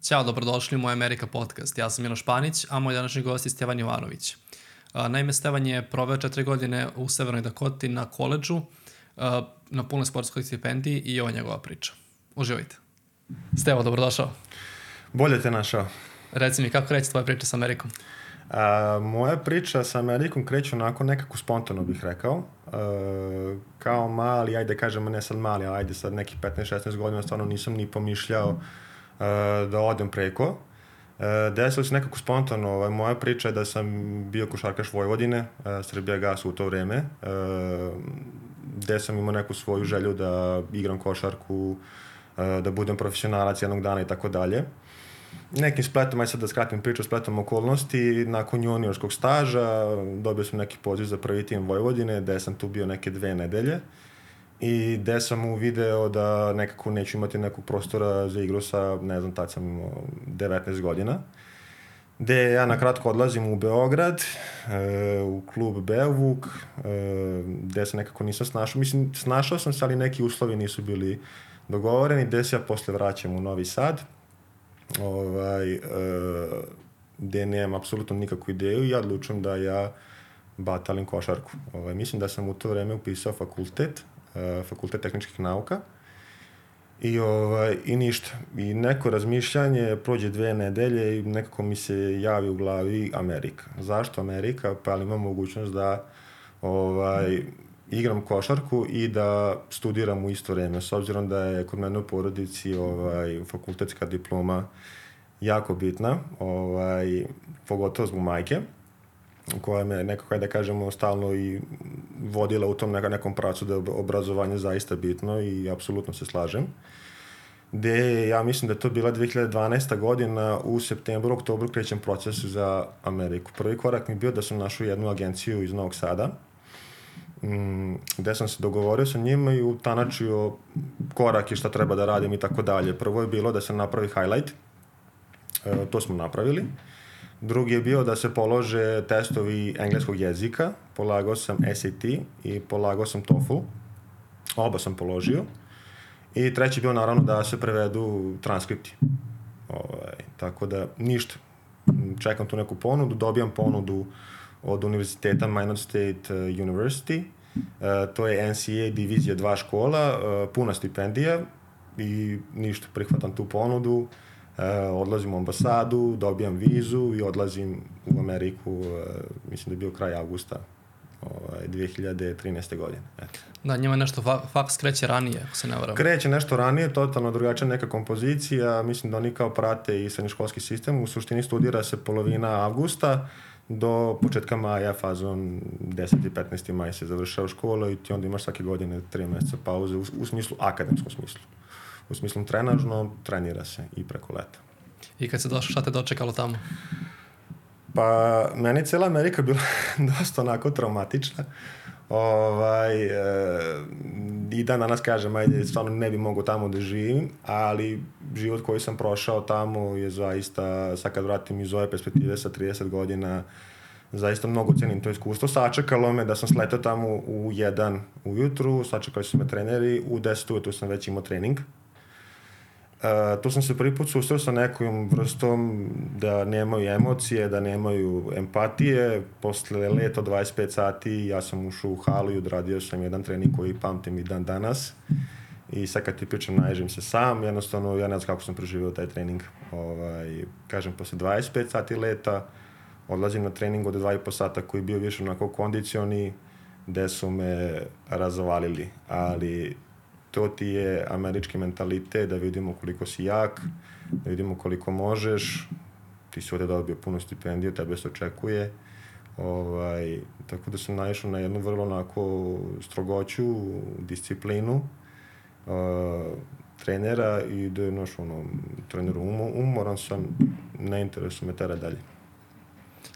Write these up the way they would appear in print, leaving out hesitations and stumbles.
Ćao, dobrodošli u moj Amerika podcast. Ja sam Miloš Panić, a moj današnji gost je Stevan Jovanović. Naime, Stevan je proveo 4 godine u Severnoj Dakoti na koledžu, na punoj sportskoj stipendiji i ovo je njegova priča. Uživajte. Stevo, dobrodošao. Bolje te našao. Reci mi, kako kreće tvoja priča sa Amerikom? Moja priča sa Amerikom kreće onako nekako spontano bih rekao. Kao mali, ajde kažemo ne sad mali, ali ajde sad nekih 15-16 godina stvarno nisam ni pomišljao da odem preko. Desilo se nekako spontano. Moja priča je da sam bio košarkaš Vojvodine, Srbijagas u to vreme, gde sam imao neku svoju želju da igram košarku, da budem profesionalac jednog dana i tako dalje. Nekim spletom, aj sad da skratim priču, spletom okolnosti, nakon juniorskog staža dobio sam neki poziv za prvi tim Vojvodine, gde sam tu bio neke 2 nedelje i gde sam uvideo da nekako neću imati nekog prostora za igru sa, ne znam, tad sam imao 19 godina, gde ja na kratko odlazim u Beograd, u klub Beovuk, gde se nekako nisam snašao. Mislim, snašao sam se, ali neki uslovi nisu bili dogovoreni, gde se ja posle vraćam u Novi Sad, gde nemam apsolutno nikakvu ideju i ja odlučujem da ja batalim košarku. Mislim da sam u to vreme upisao fakultet tehničkih nauka i ništa. I neko razmišljanje, prođe 2 nedelje i nekako mi se javi u glavi Amerika. Zašto Amerika? Pa ali imam mogućnost da igram košarku i da studiram u isto vreme, s obzirom da je kod mene u porodici fakultetska diploma jako bitna, pogotovo zbog majke, koja me nekako, da kažemo, stalno i vodila u tom nekom pravcu da je obrazovanje zaista bitno i apsolutno se slažem. Gde ja mislim da je to bila 2012. godina, u septembru, oktobru krećem proces za Ameriku. Prvi korak mi je bio da sam našao jednu agenciju iz Novog Sada, gde sam se dogovorio sa njima i utanačio korak i šta treba da radim i tako dalje. Prvo je bilo da se napravi highlight, to smo napravili. Drugi je bio da se polože testovi engleskog jezika, polagao sam SAT i polagao sam TOEFL, oba sam položio. I treći je bio naravno da se prevedu transkripti. Tako da ništa, čekam tu neku ponudu, dobijam ponudu od univerziteta Minot State University, to je NCAA divizija 2 škola, puna stipendija i ništa, prihvatam tu ponudu, odlazim u ambasadu, dobijam vizu i odlazim u Ameriku, mislim da je bio kraj avgusta 2013. godine. Eto. Da, njima nešto faks kreće ranije, ako se ne varam. Kreće nešto ranije, totalno drugačija neka kompozicija, mislim da oni kao prate i srednjoškolski sistem, u suštini studira se polovina avgusta, do početka maja, fazon 10. i 15. maj se završava škola i ti onda imaš svake godine 3 meseca pauze u smislu, akademskom smislu. U smislu trenažno, trenira se i preko leta. I kad se došao, šta te dočekalo tamo? Pa, meni cijela Amerika bila dosta onako traumatična. I dan danas kažem, ajde, stvarno ne bi mogao tamo da živim, ali život koji sam prošao tamo je zaista, sad kad vratim iz ove perspektive sa 30 godina, zaista mnogo cenim to iskustvo. Sačekalo me da sam sletao tamo u 1 ujutru, sačekali su me treneri, u 10 ujutru sam već imao trening. Tu sam se prvi put susreo sa nekom vrstom da nemaju emocije, da nemaju empatije. Posle leta 25 sati ja sam ušao u halu i odradio sam jedan trening koji pamtim i dan danas. I sad kad ti pričam, naježim se sam, jednostavno ja ne znam kako sam preživio taj trening. Kažem, posle 25 sati leta odlazim na trening od 2,5 sata koji je bio više onako kondicioni, gde su me razvalili, ali to ti je američki mentalitet, da vidimo koliko si jak, da vidimo koliko možeš, ti si ovde dobio puno stipendiju, tebe se očekuje, tako da sam naišao na jednu vrlo onako strogoću, disciplinu trenera i da je treneru umoran sam, ne interesuje me tera dalje.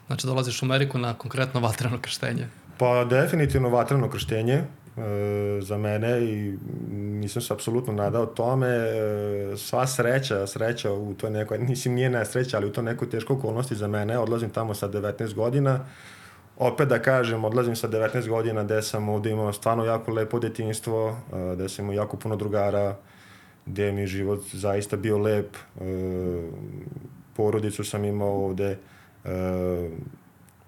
Znači dolaziš u Ameriku na konkretno vatreno krštenje? Pa definitivno vatreno krštenje za mene i nisam se apsolutno nadao tome. Sva sreća u toj nekoj, nije nesreća, ali u toj nekoj teškoj okolnosti za mene. Odlazim tamo sa 19 godina. Opet da kažem, odlazim sa 19 godina gde sam ovde imao stvarno jako lepo detinjstvo, gde sam imao jako puno drugara, gde mi je život zaista bio lep. porodicu sam imao ovde,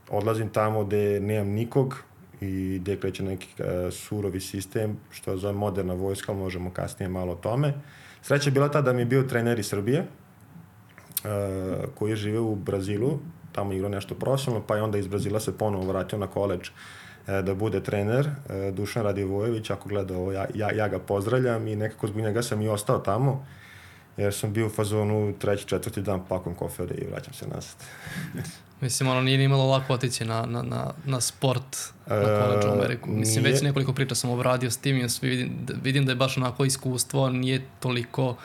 odlazim tamo gde nemam nikog i gde kreće neki surovi sistem, što zove moderna vojska, ali možemo kasnije malo o tome. Sreća je bila ta da mi je bio trener iz Srbije, koji je živeo u Brazilu, tamo igrao nešto profesionalno, pa je onda iz Brazila se ponovo vratio na koledž da bude trener, Dušan Radivojević, ako gleda ovo, ja ga pozdravljam i nekako zbog njega sam i ostao tamo, jer sam bio u fazonu 3. 4. dan pakujem kofere i vraćam se nazad. Mislim, ono nije imalo lako otići na sport na koledžu u Ameriku. Mislim, već nekoliko priča sam obradio s tim i vidim da je baš onako iskustvo, nije toliko,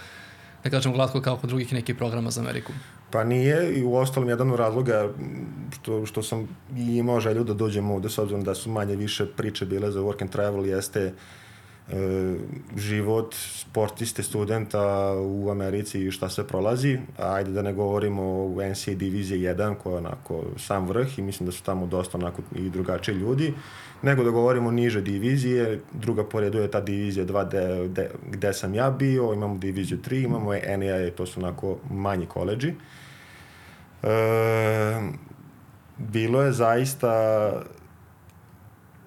da kažem, glatko kao kod drugih nekih programa za Ameriku. Pa nije, i u ostalom jedan od razloga što sam imao želju da dođem ovde, s obzirom da su manje više priče bile za work and travel, jeste život sportiste, studenta u Americi i šta se prolazi. Ajde da ne govorimo o NCAA divizije 1 koja je onako sam vrh i mislim da su tamo dosta onako i drugačiji ljudi, nego da govorimo niže divizije. Druga po redu je ta divizija 2 gde sam ja bio, imamo diviziju 3, imamo NAIA, to su onako manji koledži. Bilo je zaista,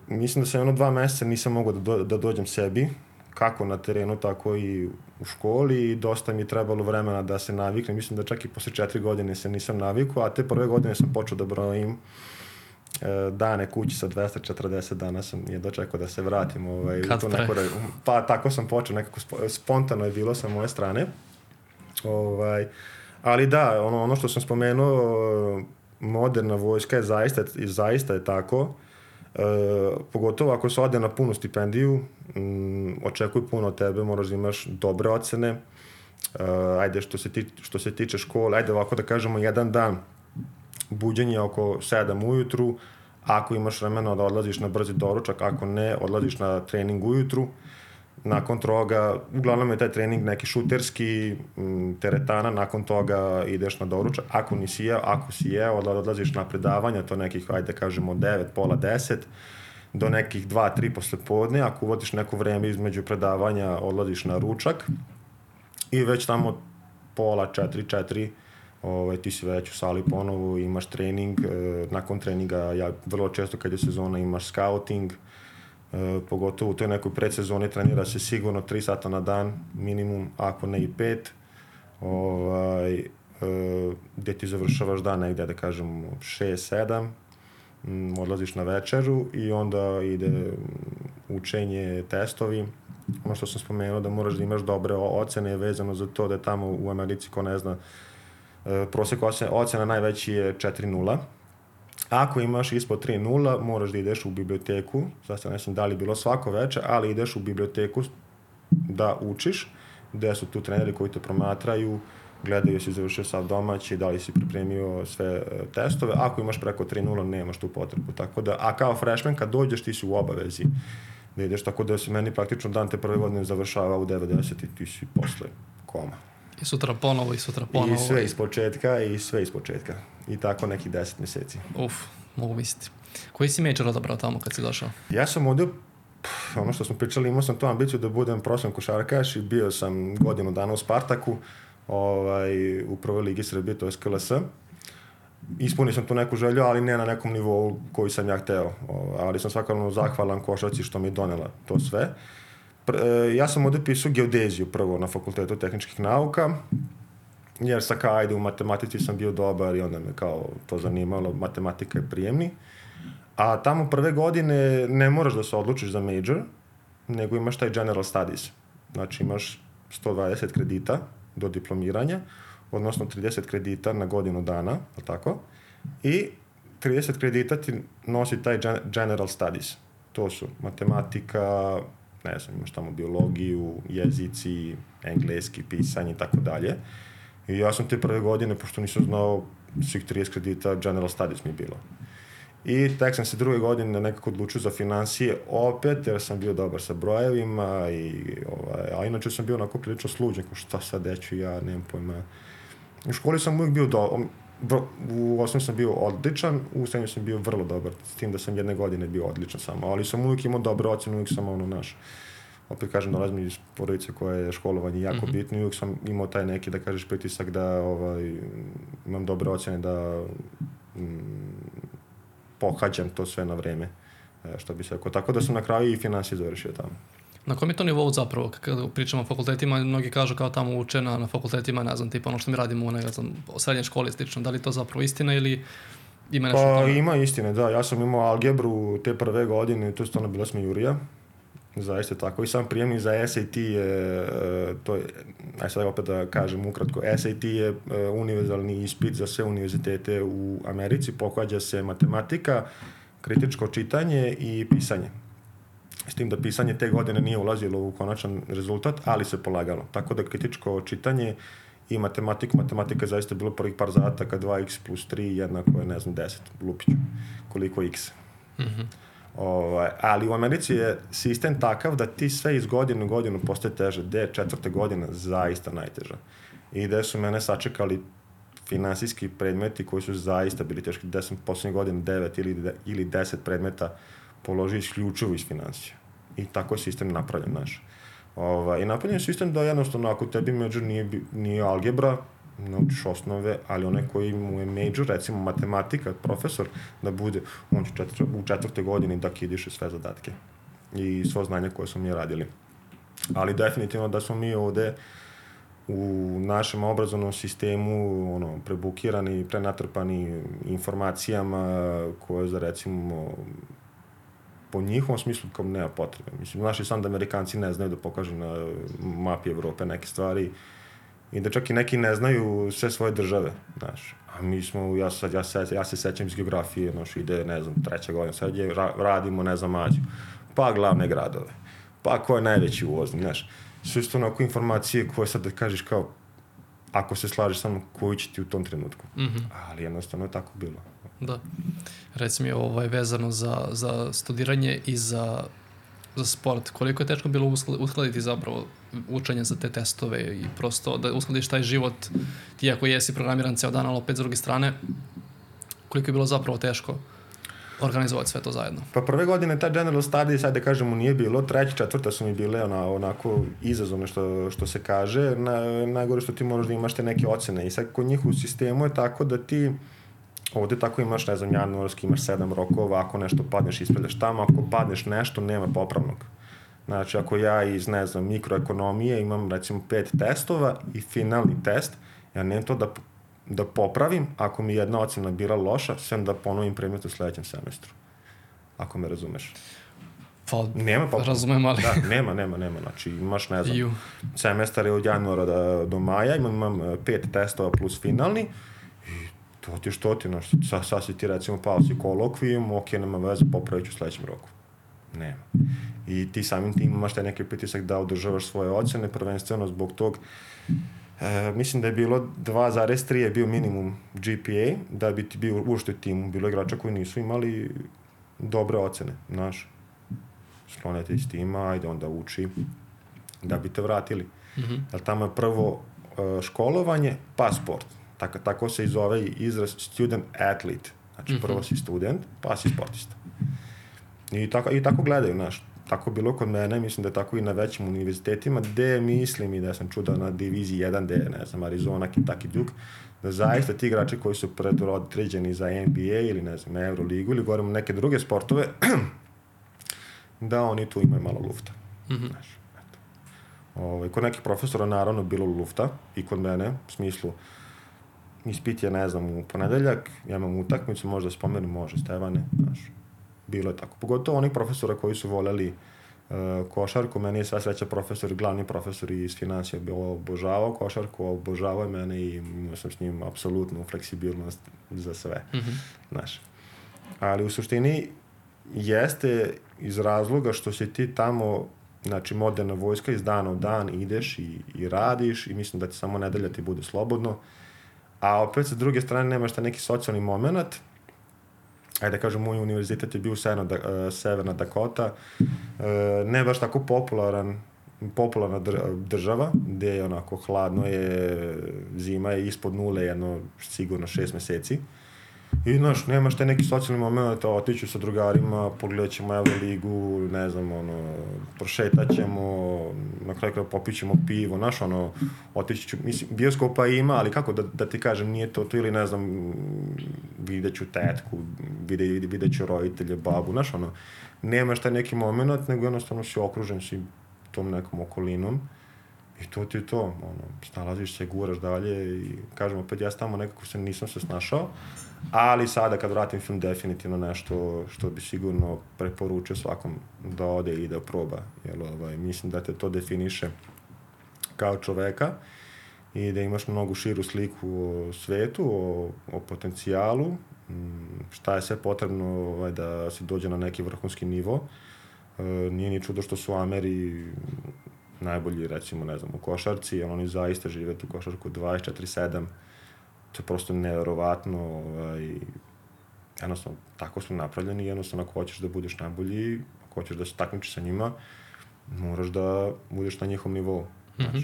mislim da sam 2 meseca nisam mogao da dođem sebi, kako na terenu, tako i u školi, i dosta mi je trebalo vremena da se naviknem. Mislim da čak i posle 4 godine se nisam navikao, a te prve godine sam počeo da brojim dane kući sa 240 dana sam je dočekao da se vratim. Kad pre? Pa tako sam počeo, nekako spontano je bilo sa moje strane. Ali da, ono što sam spomenuo, moderna vojska je zaista je tako. Pogotovo ako se ode na punu stipendiju, očekuj puno od tebe, moraš da imaš dobre ocene. Ajde, što se tiče škole, ajde ovako da kažemo, jedan dan buđenje oko 7 ujutru, ako imaš vremena da odlaziš na brzi doručak, ako ne, odlaziš na trening ujutru. Nakon toga, uglavnom je taj trening neki šuterski, teretana, nakon toga ideš na doručak. Ako nisi jeo, ako si jeo, odlaziš na predavanja, to nekih, ajde kažemo, 9, pola 10, do nekih 2, 3 posle podne. Ako uvodiš neko vreme između predavanja, odlaziš na ručak i već tamo pola 4, ti si već u sali ponovo, imaš trening. Nakon treninga, ja vrlo često kad je sezona, imaš scouting, pogotovo u toj nekoj predsezoni trenira se sigurno 3 sata na dan minimum, ako ne i 5, gde ti završavaš dan negde, da kažem 6, 7, odlaziš na večeru i onda ide učenje, testovi. Ono što sam spomenuo, da moraš da imaš dobre ocene vezano za to da je tamo u Americi, ko ne zna, prosek ocena najveći je 4.0. Ako imaš ispod 3.0, moraš da ideš u biblioteku, sad ne znam da li bilo svako veče, ali ideš u biblioteku da učiš, gde su tu treneri koji te promatraju, gledaju si završio sav domaći, da li si pripremio sve testove. Ako imaš preko 3.0, nemaš tu potrebu. Tako da, a kao freshman, kad dođeš, ti si u obavezi da ideš, tako da se meni praktično dan te prve godine završava u 90 i ti si posle koma. I sutra ponovo. I sve iz početka. I tako nekih 10 meseci. Mogu misliti. Koji si major odabrao tamo kad si došao? Ja sam ovdje, ono što smo pričali, imao sam tu ambiciju da budem profesionalni košarkaš i bio sam godinu dana u Spartaku, u prvoj ligi Srbije, to je KLS. Ispunio sam tu neku želju, ali ne na nekom nivou koji sam ja hteo. Ali sam svakako zahvalan košarci što mi je donela to sve. Ja sam ovdje pisao geodeziju prvo na Fakultetu tehničkih nauka, jer ajde u matematici sam bio dobar i onda me kao to zanimalo, matematika je prijemni. A tamo prve godine ne moraš da se odlučiš za major, nego imaš taj general studies. Znači imaš 120 kredita do diplomiranja, odnosno 30 kredita na godinu dana, tako? I 30 kredita ti nosi taj general studies. To su matematika, ne znam, imaš tamo biologiju, jezici, engleski, pisanje i tako dalje. I ja sam te prve godine, pošto nisam znao svih 30 kredita, general studies mi je bilo. I tek sam se druge godine nekako odlučio za finansije opet, jer sam bio dobar sa brojevima, a inače sam bio onako prilično sluđen, kao šta sad deću, ja nemam pojma. U školi sam uvijek bio u osnovu sam bio odličan, u srednju sam bio vrlo dobar, s tim da sam jedne godine bio odličan samo, ali sam uvijek imao dobre ocene, uvijek sam opet kažem, dolazim iz porodice koja je školovanje jako bitno i uvijek sam imao taj neki, da kažeš, pritisak da imam dobre ocene da pohađam to sve na vreme, što bi se rekao. Tako da sam na kraju i finansije završio tamo. Na kom je to nivou zapravo, kada pričamo o fakultetima, mnogi kažu kao tamo uče na fakultetima, ne znam, tipa ono što mi radimo u srednjoj školi slično, da li to zapravo istina ili ima nešto Pa tamo? ima istine, da. Ja sam imao algebru te prve godine, to je stvarno bila smijurija. Zaista tako. I sam prijemni za SAT je, to je, aj sad opet da kažem ukratko, SAT je univerzalni ispit za sve univerzitete u Americi, pohađa se matematika, kritičko čitanje i pisanje. S tim da pisanje te godine nije ulazilo u konačan rezultat, ali se polagalo. Tako da kritičko čitanje i matematika je zaista bilo prvih par zadataka, 2x plus 3 jednako je, ne znam, 10, lupiću, koliko x. Ali u Americi je sistem takav da ti sve iz godine u godinu postaje teže, gde je 4. godina zaista najteža. I gde su mene sačekali finansijski predmeti koji su zaista bili teški, gde sam poslednje godine 9 ili 10 predmeta položio isključivo iz finansija. I tako je sistem napravljen naš. I napravljen je sistem da jednostavno ako tebi major nije algebra, naučiš osnove, ali onaj koji mu je major, recimo matematika, profesor, da bude, on će u 4. godini da kidiše sve zadatke i svo znanje koje smo mi radili. Ali definitivno da smo mi ovde u našem obrazovnom sistemu prebukirani, prenatrpani informacijama koje za recimo po njihovom smislu kao nema potrebe. Mislim, naši sam da Amerikanci ne znaju da pokažu na mapi Evrope neke stvari i da čak i neki ne znaju sve svoje države, znaš. A mi smo, ja se sećam iz geografije, znaš, ide, ne znam, 3. godina, sad radimo, ne znam, Mađu, pa glavne gradove, pa ko je najveći uvoznik, znaš. Sve isto onako informacije koje sad da kažeš kao, ako se slažeš sa mnom, koji će ti u tom trenutku. Ali jednostavno je tako bilo. Da. Reci mi vezano za studiranje i za sport. Koliko je teško bilo uskladiti zapravo učenje za te testove i prosto da uskladiš taj život ti ako jesi programiran ceo dan, ali opet s druge strane, koliko je bilo zapravo teško organizovati sve to zajedno? Pa prve godine ta general studies, sad da kažemo, nije bilo. 3., 4. su mi bile onako izazovne što se kaže. Najgore što ti moraš da imaš te neke ocene. I sad kod njih u sistemu je tako da ti ovde tako imaš, ne znam, januarski, imaš 7 rokova, ako nešto padneš, ispravljaš tamo, ako padneš nešto, nema popravnog. Znači, ako ja iz, ne znam, mikroekonomije imam, recimo, 5 testova i finalni test, ja nemam to da popravim, ako mi jedna ocena bila loša, sem da ponovim predmet u sledećem semestru. Ako me razumeš. Pa, nema popravnog. Razumem, ali... Da, nema. Znači, imaš, ne znam, semestar je od januara do maja, imam 5 testova plus finalni, to ti, sad si ti recimo pao si kolokvijum, ok, nema veze, popravit ću u sledećem roku. Nema. I ti samim tim imaš taj neki pritisak da održavaš svoje ocene, prvenstveno zbog tog, mislim da je bilo 2,3 je bio minimum GPA, da bi ti bio uopšte u timu. Bilo igrača koji nisu imali dobre ocene, znaš. Sklonete iz tima, ajde onda uči, da bi te vratili. Jer tamo je prvo školovanje, pa sport. Tako se i zove izraz student athlete. Znači, prvo si student, pa si sportista. I tako gledaju, znaš. Tako bilo kod mene, mislim da je tako i na većim univerzitetima, gde mislim i da sam čuda na diviziji 1, gde je, ne znam, Arizona, Kentucky Duke, da zaista ti igrači koji su predodređeni za NBA ili, ne znam, Euroligu ili govorimo neke druge sportove, da oni tu imaju malo lufta. Znaš, eto. Kod nekih profesora naravno bilo lufta i kod mene, u smislu, ispit je, ne znam, u ponedeljak, ja imam utakmicu, možda spomenem, može, Stevane, znaš, bilo je tako. Pogotovo onih profesora koji su voljeli košarku, meni je sva sreća profesor, glavni profesor iz finansija obožavao košarku, obožavao je mene i imao sam s njim apsolutnu fleksibilnost za sve, znaš. Ali u suštini jeste iz razloga što si ti tamo, znači, moderna vojska, iz dana u dan ideš i radiš i mislim da ti samo nedelja ti bude slobodno. A opet, sa druge strane, nemaš ta neki socijalni moment. Ajde da kažem, moj univerzitet je bio Severna Dakota. Ne baš tako popularna država, gde je onako hladno je, zima je ispod nule, jedno sigurno 6 meseci. I, znaš, nemaš taj neki socijalni moment, otiću sa drugarima, pogledat ćemo Euroligu, ne znam, prošetat ćemo, na kraju kraja popit ćemo pivo, znaš, otići ću, mislim, bioskopa ima, ali kako da ti kažem, nije to ili, ne znam, vidjet ću tetku, vidjet ću roditelje, babu, znaš, nemaš taj neki moment, nego jednostavno si okružen si tom nekom okolinom. I to ti je to, snalaziš se, guraš dalje i kažem, opet ja tamo nekako nisam se snašao, ali sada kad vratim film definitivno nešto što bi sigurno preporučio svakom da ode i da proba, jer mislim da te to definiše kao čoveka i da imaš mnogo širu sliku o svetu, o potencijalu, šta je sve potrebno da se dođe na neki vrhunski nivo. Nije ni čudo što su Ameri najbolji, recimo, ne znam, u košarci, oni zaista žive tu košarku 24/7, to je prosto neverovatno, jednostavno, tako su napravljeni, jednostavno, ako hoćeš da budeš najbolji, ako hoćeš da se takmičiš sa njima, moraš da budeš na njihov nivou. Mm-hmm.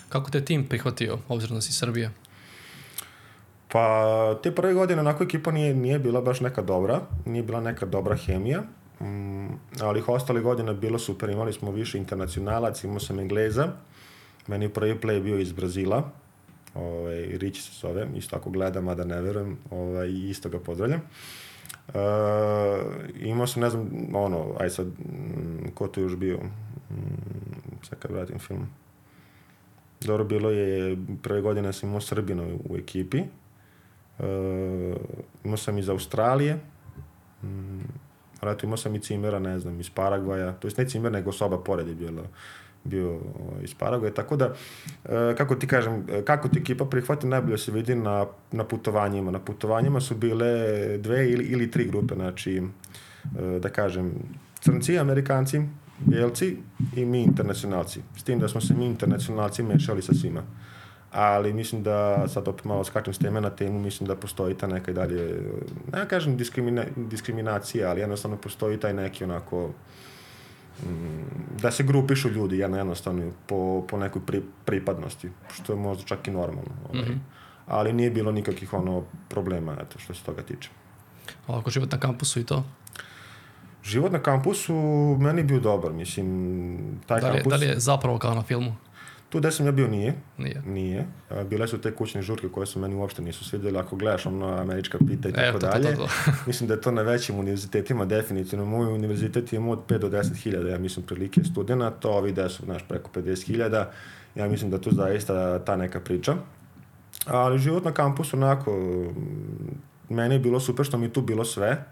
Kako te tim prihvatio, obzirom da si Srbija? Pa, te prve godine onako ekipa nije bila baš neka dobra, nije bila neka dobra hemija, ali ostale godine bilo super, imali smo više internacionalac, imao sam Engleza, meni prvi play bio iz Brazila, Rići se zove, isto ako gledam, a da ne verujem, isto ga pozdravljam. Imao sam, ne znam, aj sad, ko tu još bio, sad kad vratim film. Dobro, bilo je, prve godine sam imao Srbina u ekipi, imao sam iz Australije, imao sam i Cimera, ne znam, iz Paragvaja, to jest ne Cimer, nego soba pored je bio iz Paragvaja, tako da, kako ti kažem, kako ti ekipa prihvati, najbolje se vidi na putovanjima. Na putovanjima su bile 2 ili 3 grupe, znači, da kažem, Crnci, Amerikanci, Bijelci i mi internacionalci. S tim da smo se mi internacionalci mešali sa svima. Ali mislim da, sad opet malo skačem s teme na temu, mislim da postoji ta neka i dalje, ne kažem diskriminacija, ali jednostavno postoji taj neki onako, da se grupišu ljudi jednostavno po nekoj pripadnosti, što je možda čak i normalno. Mm-hmm. Ali nije bilo nikakvih problema, eto, što se toga tiče. Ovako, život na kampusu i to? Život na kampusu meni je bio dobar, mislim, taj kampus... Da li je zapravo kao na filmu? Tu gde sam ja bio Nije. Bile su te kućne žurke koje se meni uopšte nisu svidjeli, ako gledaš američka pita i tako dalje. Mislim da je to na većim univerzitetima definitivno. Moj univerzitet ima od 5 do 10.000, ja mislim, prilike studenta, ovi gde su, preko 50.000, ja mislim da tu zaista ta neka priča. Ali život na kampusu, onako, meni je bilo super što mi je tu bilo sve.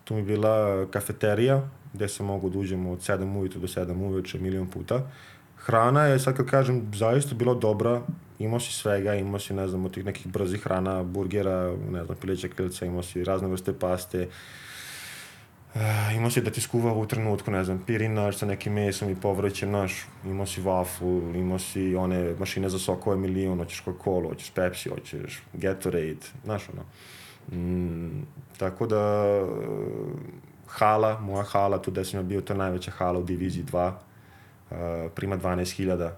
Tu mi je bila kafeterija, gde se mogu da uđemo od 7 ujutru do 7 uveče, milion puta. Hrana je, sad kad kažem, zaista bila dobra, imao si svega, imao si, ne znam, od tih nekih brzih hrana, burgera, ne znam, pileća krilca, imao si razne vrste paste, imao si da ti skuva u trenutku, ne znam, pirinač sa nekim mesom i povrćem, imao si waffle, imao si one mašine za sokove milion, hoćeš Coca-Cola, hoćeš Pepsi, hoćeš Gatorade, tako da, moja hala, tu gde sam ja bio, to je najveća hala u diviziji 2, prima 12.000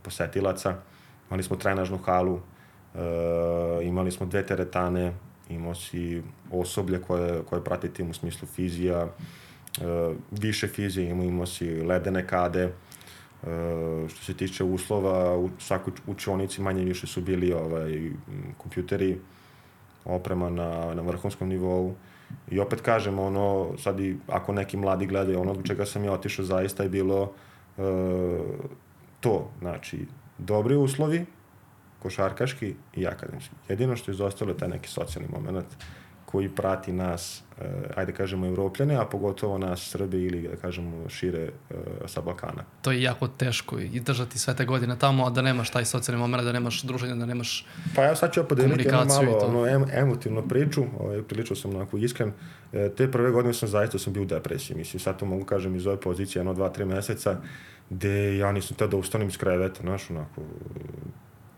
posetilaca, imali smo trenažnu halu, imali smo 2 teretane, imao si osoblje koje prati tim u smislu fizija, više fizije, imao si ledene kade, što se tiče uslova, u svakoj učionici manje više su bili kompjuteri, oprema na vrhunskom nivou. I opet kažem, sad i ako neki mladi gledaju, od čega sam ja otišao zaista je bilo to, znači, dobri uslovi, košarkaški i akademski. Jedino što je izostalo je taj neki socijalni moment koji prati nas, ajde kažemo, Evropljane, a pogotovo nas Srbe ili, da kažemo, šire sa Balkana. To je jako teško i držati sve te godine tamo, a da nemaš taj socijalni moment, da nemaš druženja, da nemaš komunikaciju. Pa ja sad ću podeliti malo emotivnu priču, prilično sam onako iskren. Te prve godine sam bio u depresiji, mislim, sad to mogu kažem iz ove pozicije, 2-3 meseca, gde ja nisam teo da ustanem iz kreveta, onako,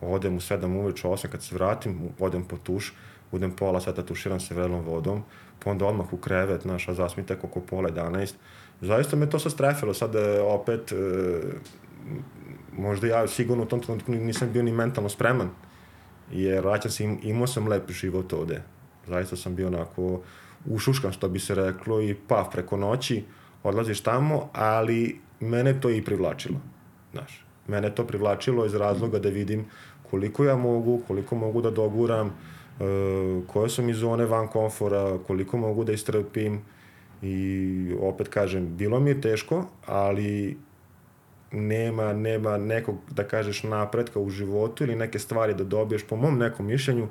odem u 7 uveče, 8 kad se vratim, odem po tuš, budem pola sata tuširam se vrelom vodom, pa onda odmah u krevet, a zasmi tek oko 10:30. Zaista me to sad strefilo, sad opet, možda ja sigurno u tom trenutku nisam bio ni mentalno spreman, jer vraćam se, imao sam lep život ovde, Zaista sam bio onako ušuškan, što bi se reklo, i preko noći odlaziš tamo, ali mene to i privlačilo. Znaš, mene to privlačilo iz razloga da vidim koliko ja mogu, koliko mogu da doguram, koje su mi zone van komfora, koliko mogu da istrpim i opet kažem, bilo mi je teško, ali nema nekog, da kažeš, napretka u životu ili neke stvari da dobiješ, po mom nekom mišljenju,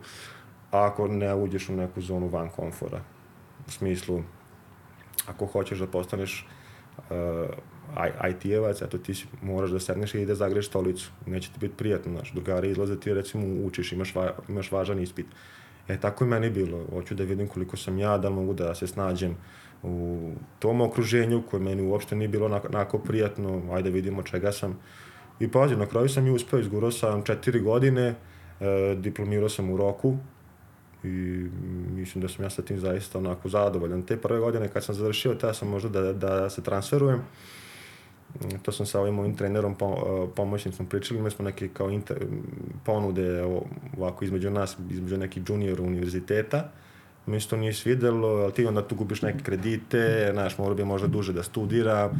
ako ne uđeš u neku zonu van komfora. U smislu, ako hoćeš da postaneš IT-evac, eto ti moraš da sedneš i da zagreš stolicu. Neće ti biti prijatno, znaš, drugari izlaze, ti recimo učiš, imaš važan ispit. Tako i meni bilo. Hoću da vidim koliko sam ja, da mogu da se snađem u tom okruženju koje meni uopšte nije bilo onako prijatno, ajde vidimo čega sam. I pazi, na kraju sam i uspeo, izgurao sam 4 godine, diplomirao sam u roku i mislim da sam ja sa tim zaista onako zadovoljan. Te prve godine kad sam završio, tada sam možda da se transferujem. To sam sa ovim mojim trenerom pomoćnicom pričali, imali smo neke kao ponude ovako između nas, između nekih juniora univerziteta. Mi se to nije svidelo, ali ti onda tu gubiš neke kredite, znaš, morao bi možda duže da studira.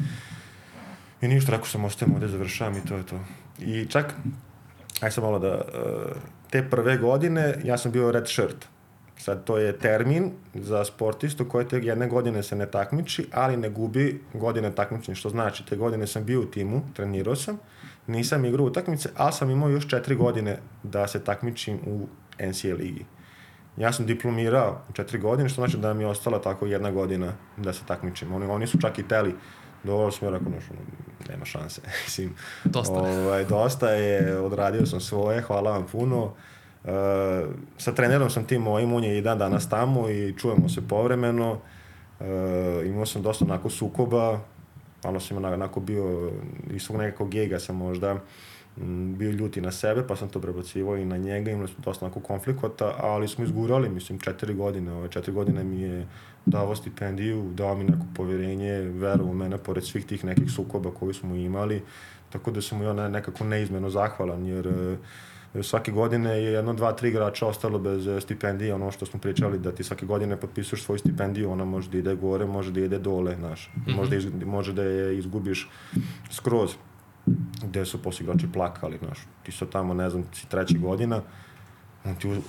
I ništa, rekao sam, ostajem ovde, završavam i to je to. I čak, aj sam malo da, te prve godine ja sam bio red shirt. Sad, to je termin za sportistu koji te jedne godine se ne takmiči, ali ne gubi godine takmičenja, što znači, te godine sam bio u timu, trenirao sam, nisam igrao utakmice, ali sam imao još 4 godine da se takmičim u NCAA ligi. Ja sam diplomirao u 4 godine, što znači da mi je ostala tako 1 godina da se takmičim. Oni su čak i teli. Dovoljno sam joj rekao, nema šanse. Dosta je, odradio sam svoje, hvala vam puno. Sa trenerom sam tim mojim, on je i dan danas tamo i čujemo se povremeno. Imao sam dosta onako sukoba, malo sam onako bio, iz svog nekakvog gega sam možda bio ljuti na sebe, pa sam to prebacivao i na njega, imali smo dosta onako konflikata, ali smo izgurali, mislim, 4 godine. Ove 4 godine mi je dao stipendiju, dao mi neko poverenje, verovao u mene, pored svih tih nekih sukoba koji smo imali, tako da sam mu ja nekako neizmjerno zahvalan, jer svake godine je 1, 2, 3 igrača ostalo bez stipendije, ono što smo pričali, da ti svake godine potpisuješ svoju stipendiju, ona može da ide gore, može da ide dole, znaš, može da je izgubiš skroz, gde su posle igrači plakali, znaš, ti sad tamo, ne znam, si 3. godina,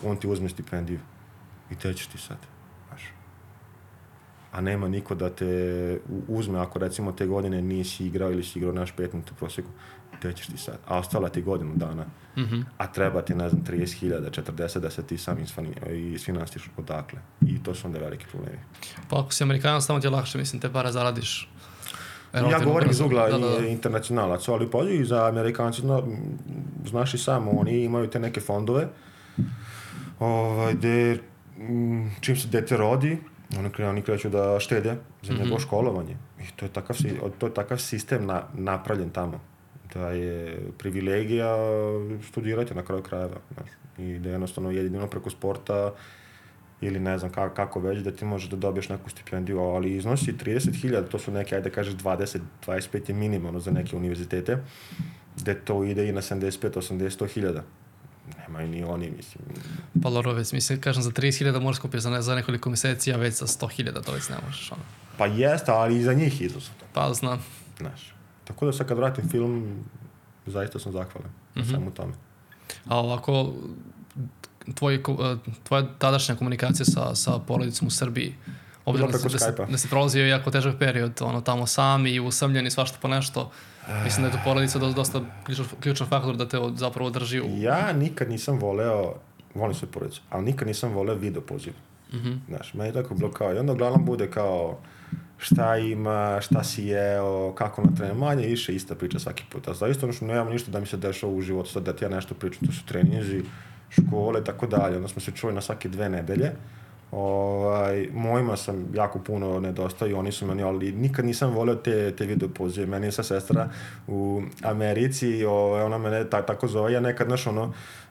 on ti uzme stipendiju i te ćeš ti sad, znaš. A nema niko da te uzme, ako recimo te godine nisi igrao ili si igrao naš 5 minuta u proseku, te ćeš ti sad, a ostala ti godinu dana, a treba ti, ne znam, 30.000, 40 da se ti sam isfinansiš odakle. I to su onda veliki problemi. Pa ako si Amerikanac, tamo ti je lakše, mislim, te para zaradiš. Ja govorim iz ugla internacionalaca, ali pa i za Amerikanci, znaš i samo, oni imaju te neke fondove, gde čim se dete rodi, oni kreću da štede za njegovo školovanje. I to je takav sistem napravljen tamo. Da je privilegija studirati na kraju krajeva. I da jednostavno jedino preko sporta ili ne znam kako već, da ti možeš da dobiješ neku stipendiju, ali iznosi 30.000, to su neke, ajde kažeš 20-25 je minimalno za neke univerzitete, gde to ide i na 75-80.000. Nemaju ni oni, mislim. Pa dobro, već mislim, kažem, za 30.000 možeš kupiti za nekoliko meseci, a već za 100.000 to već ne možeš. Ono. Pa jeste, ali i za njih izuzno. Pa znam. Znaš. Tako da sad kad vratim film, zaista sam zahvalan na svemu tome. A ovako, tvoja tadašnja komunikacija sa porodicom u Srbiji, obzirom da si prolazio jako težak period, ono, tamo sam i usamljen i svašta po nešto, mislim da je to porodica dosta ključan faktor da te zapravo drži u... Ja nikad nisam volim svoju porodicu, ali nikad nisam voleo video poziv. Znaš, meni je tako bilo kao, i onda uglavnom bude kao šta ima, šta si jeo, kako na treningu, manje više ista priča svaki put. A zaista ono što nemam ništa da mi se dešava u životu, sad da ti ja nešto pričam, to su treninzi, škole, tako dalje. Onda smo se čuli na svake 2 nedelje. Mojima sam jako puno nedostao i oni su meni, ali nikad nisam volio te video pozive. Meni je sa sestra u Americi, ona mene tako zove, ja nekad, znaš,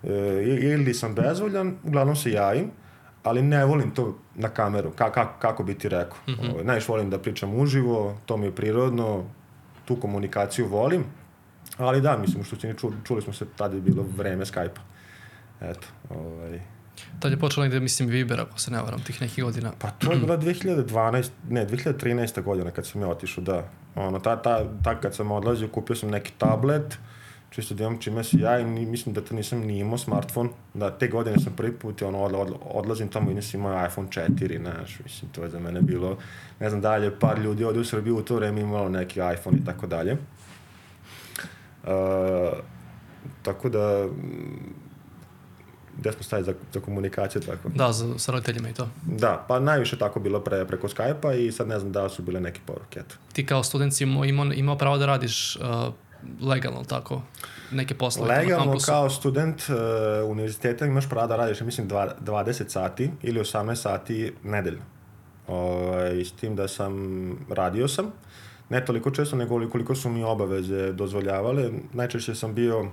ili sam bezvoljan, uglavnom se javim, ali ne volim to na kameru, kako bi ti rekao. Najviše volim da pričam uživo, to mi je prirodno, tu komunikaciju volim, ali da, mislim, što čuli smo se, tada je bilo vreme Skype-a. Eto, Tad je počelo negde, mislim, Viber, ako se ne varam, tih nekih godina. Pa to je bila 2013. godina kad sam ja otišao, da. Kad sam odlazio, kupio sam neki tablet, čisto da imam čime si ja i mislim da to nisam ni imao smartfon. Da, te godine sam prvi put odlazim tamo i nisam imao iPhone 4, znaš, mislim, to je za mene bilo, ne znam, dalje, par ljudi ovdje u Srbiji u to vreme imalo neki iPhone i tako dalje. Tako da, gde smo stavili za komunikaciju, tako? Da, sa roditeljima i to. Da, pa najviše tako bilo preko Skype-a i sad ne znam da su bile neke poruke. Ti kao student si imao pravo da radiš legalno, tako? Neke poslove legalno na kampusu? Kao student univerziteta imaš pravo da radiš, mislim, 20 sati ili 18 sati nedeljno. S tim da radio sam, ne toliko često, nego koliko su mi obaveze dozvoljavale. Najčešće sam bio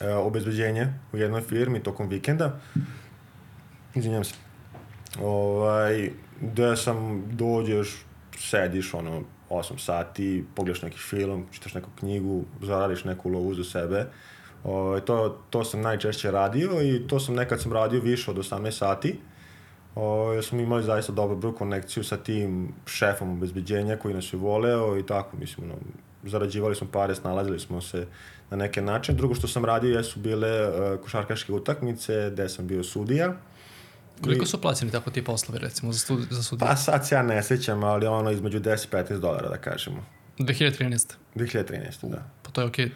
obezbeđenje u jednoj firmi tokom vikenda. Izvinjam se. Gde dođeš, sediš 8 sati, pogledaš neki film, čitaš neku knjigu, zaradiš neku lovu za sebe. To sam najčešće radio i to sam nekad radio više od 18 sati. Smo imali zaista dobru konekciju sa tim šefom obezbeđenja koji nas je voleo i tako, mislim, zarađivali smo pare, snalazili smo se na neke načine. Drugo što sam radio jesu bile košarkaške utakmice gde sam bio sudija. Koliko su plaćeni tako ti poslovi, recimo, za sudiju? Pa sad se ja ne sećam, ali između $10-15, da kažemo. 2013? 2013, da. Pa to je okej.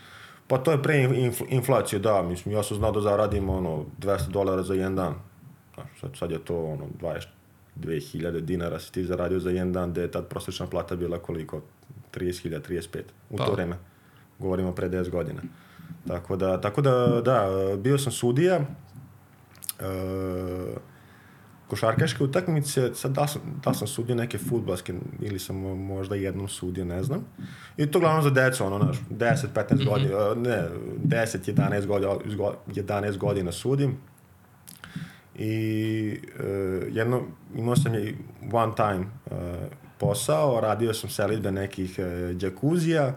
Pa to je pre inflaciju, da, mislim, ja sam znao da zaradim $200 za jedan dan. Sad je to 22.000 dinara si ti zaradio za jedan dan, gde je tad prosječna plata bila koliko? 30.000, 35. U to vreme. Govorimo pre 10 godina. Tako da, bio sam sudija. Košarkaške utakmice, sad da sam sudio neke fudbalske ili sam možda jednom sudio, ne znam. I to glavno za decu, 10-15 godina, ne, 10-11 godina sudim. I imao sam one time posao, radio sam selidbe nekih džakuzija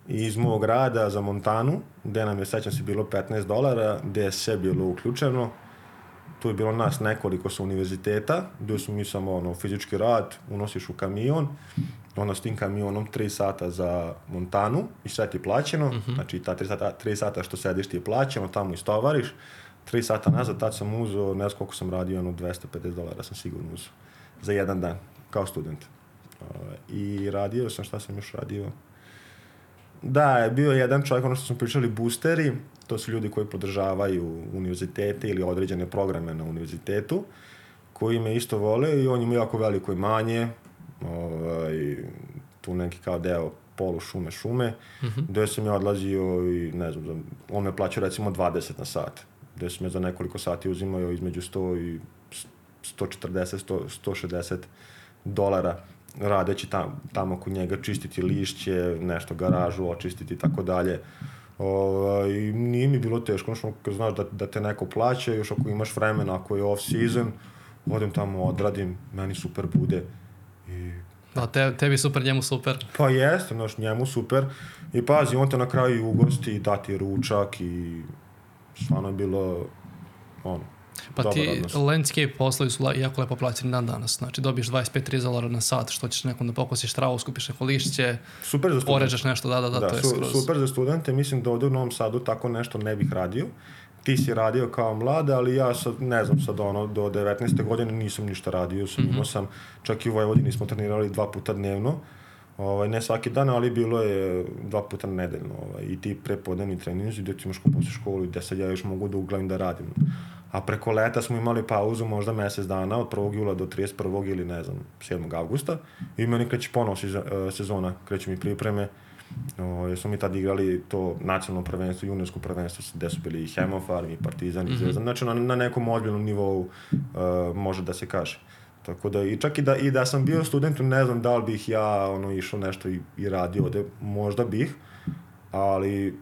iz mog rada za Montanu, gde nam je, sećam se, bilo $15, gde je sve bilo uključeno. Tu je bilo nas nekoliko sa univerziteta, gde smo mi samo fizički rad, unosiš u kamion, onda s tim kamionom 3 sata za Montanu i sve ti plaćeno, znači ta 3 sata što sediš ti je plaćeno, tamo istovariš, 3 sata nazad, tad sam uzeo, ne znam koliko sam radio, $250 sam sigurno uzeo za jedan dan, kao student. I radio sam, šta sam još radio? Da, je bio jedan čovjek, što smo pričali, boosteri, to su ljudi koji podržavaju univerzitete ili određene programe na univerzitetu, koji me isto vole i on ima jako veliko imanje, tu neki kao deo polu šume, gde sam ja odlazio i ne znam, on me plaćao recimo 20 na sat, gde sam ja za nekoliko sati uzimao između 100 i 140, $160 radeći tamo kod njega, čistiti lišće, nešto garažu, očistiti i tako dalje. I nije mi bilo teško, kad znaš da te neko plaća, još ako imaš vremena, ako je off season, odem tamo, odradim, meni super bude. Da, tebi super, njemu super. Pa jeste, njemu super. I pazi, on te na kraju ugosti, dati ručak i stvarno je bilo Pa ti landscape poslovi su jako lepo plaćeni dan danas. Znači dobiješ $25-30 na sat, što ćeš nekom da pokosiš travu, skupiš neko lišće, poređaš nešto, da, to je skroz. Super za studente, mislim da ovdje u Novom Sadu tako nešto ne bih radio. Ti si radio kao mlad, ali ja sad, ne znam, sad do 19. godine nisam ništa radio, imao sam, čak i u Vojvodini smo trenirali 2 puta dnevno, ne svaki dan, ali bilo je 2 puta nedeljno, i ti prepodnevni treninzi, gdje ti imaš posle školu i gdje sad ja još mogu da uglavim da radim. A preko leta smo imali pauzu možda mjesec dana, od 1. jula do 31. ili ne znam, 7. avgusta, i meni kreće ponovo sezona, kreću mi pripreme, jer smo mi tad igrali to nacionalno prvenstvo, juniorsko prvenstvo, gde su bili i Hemofarm, i Partizan, i Zvezdan, znači na nekom ozbiljnom nivou može da se kaže. Tako da, čak i da sam bio student, ne znam da li bih ja išao nešto i radio ovde, možda bih, ali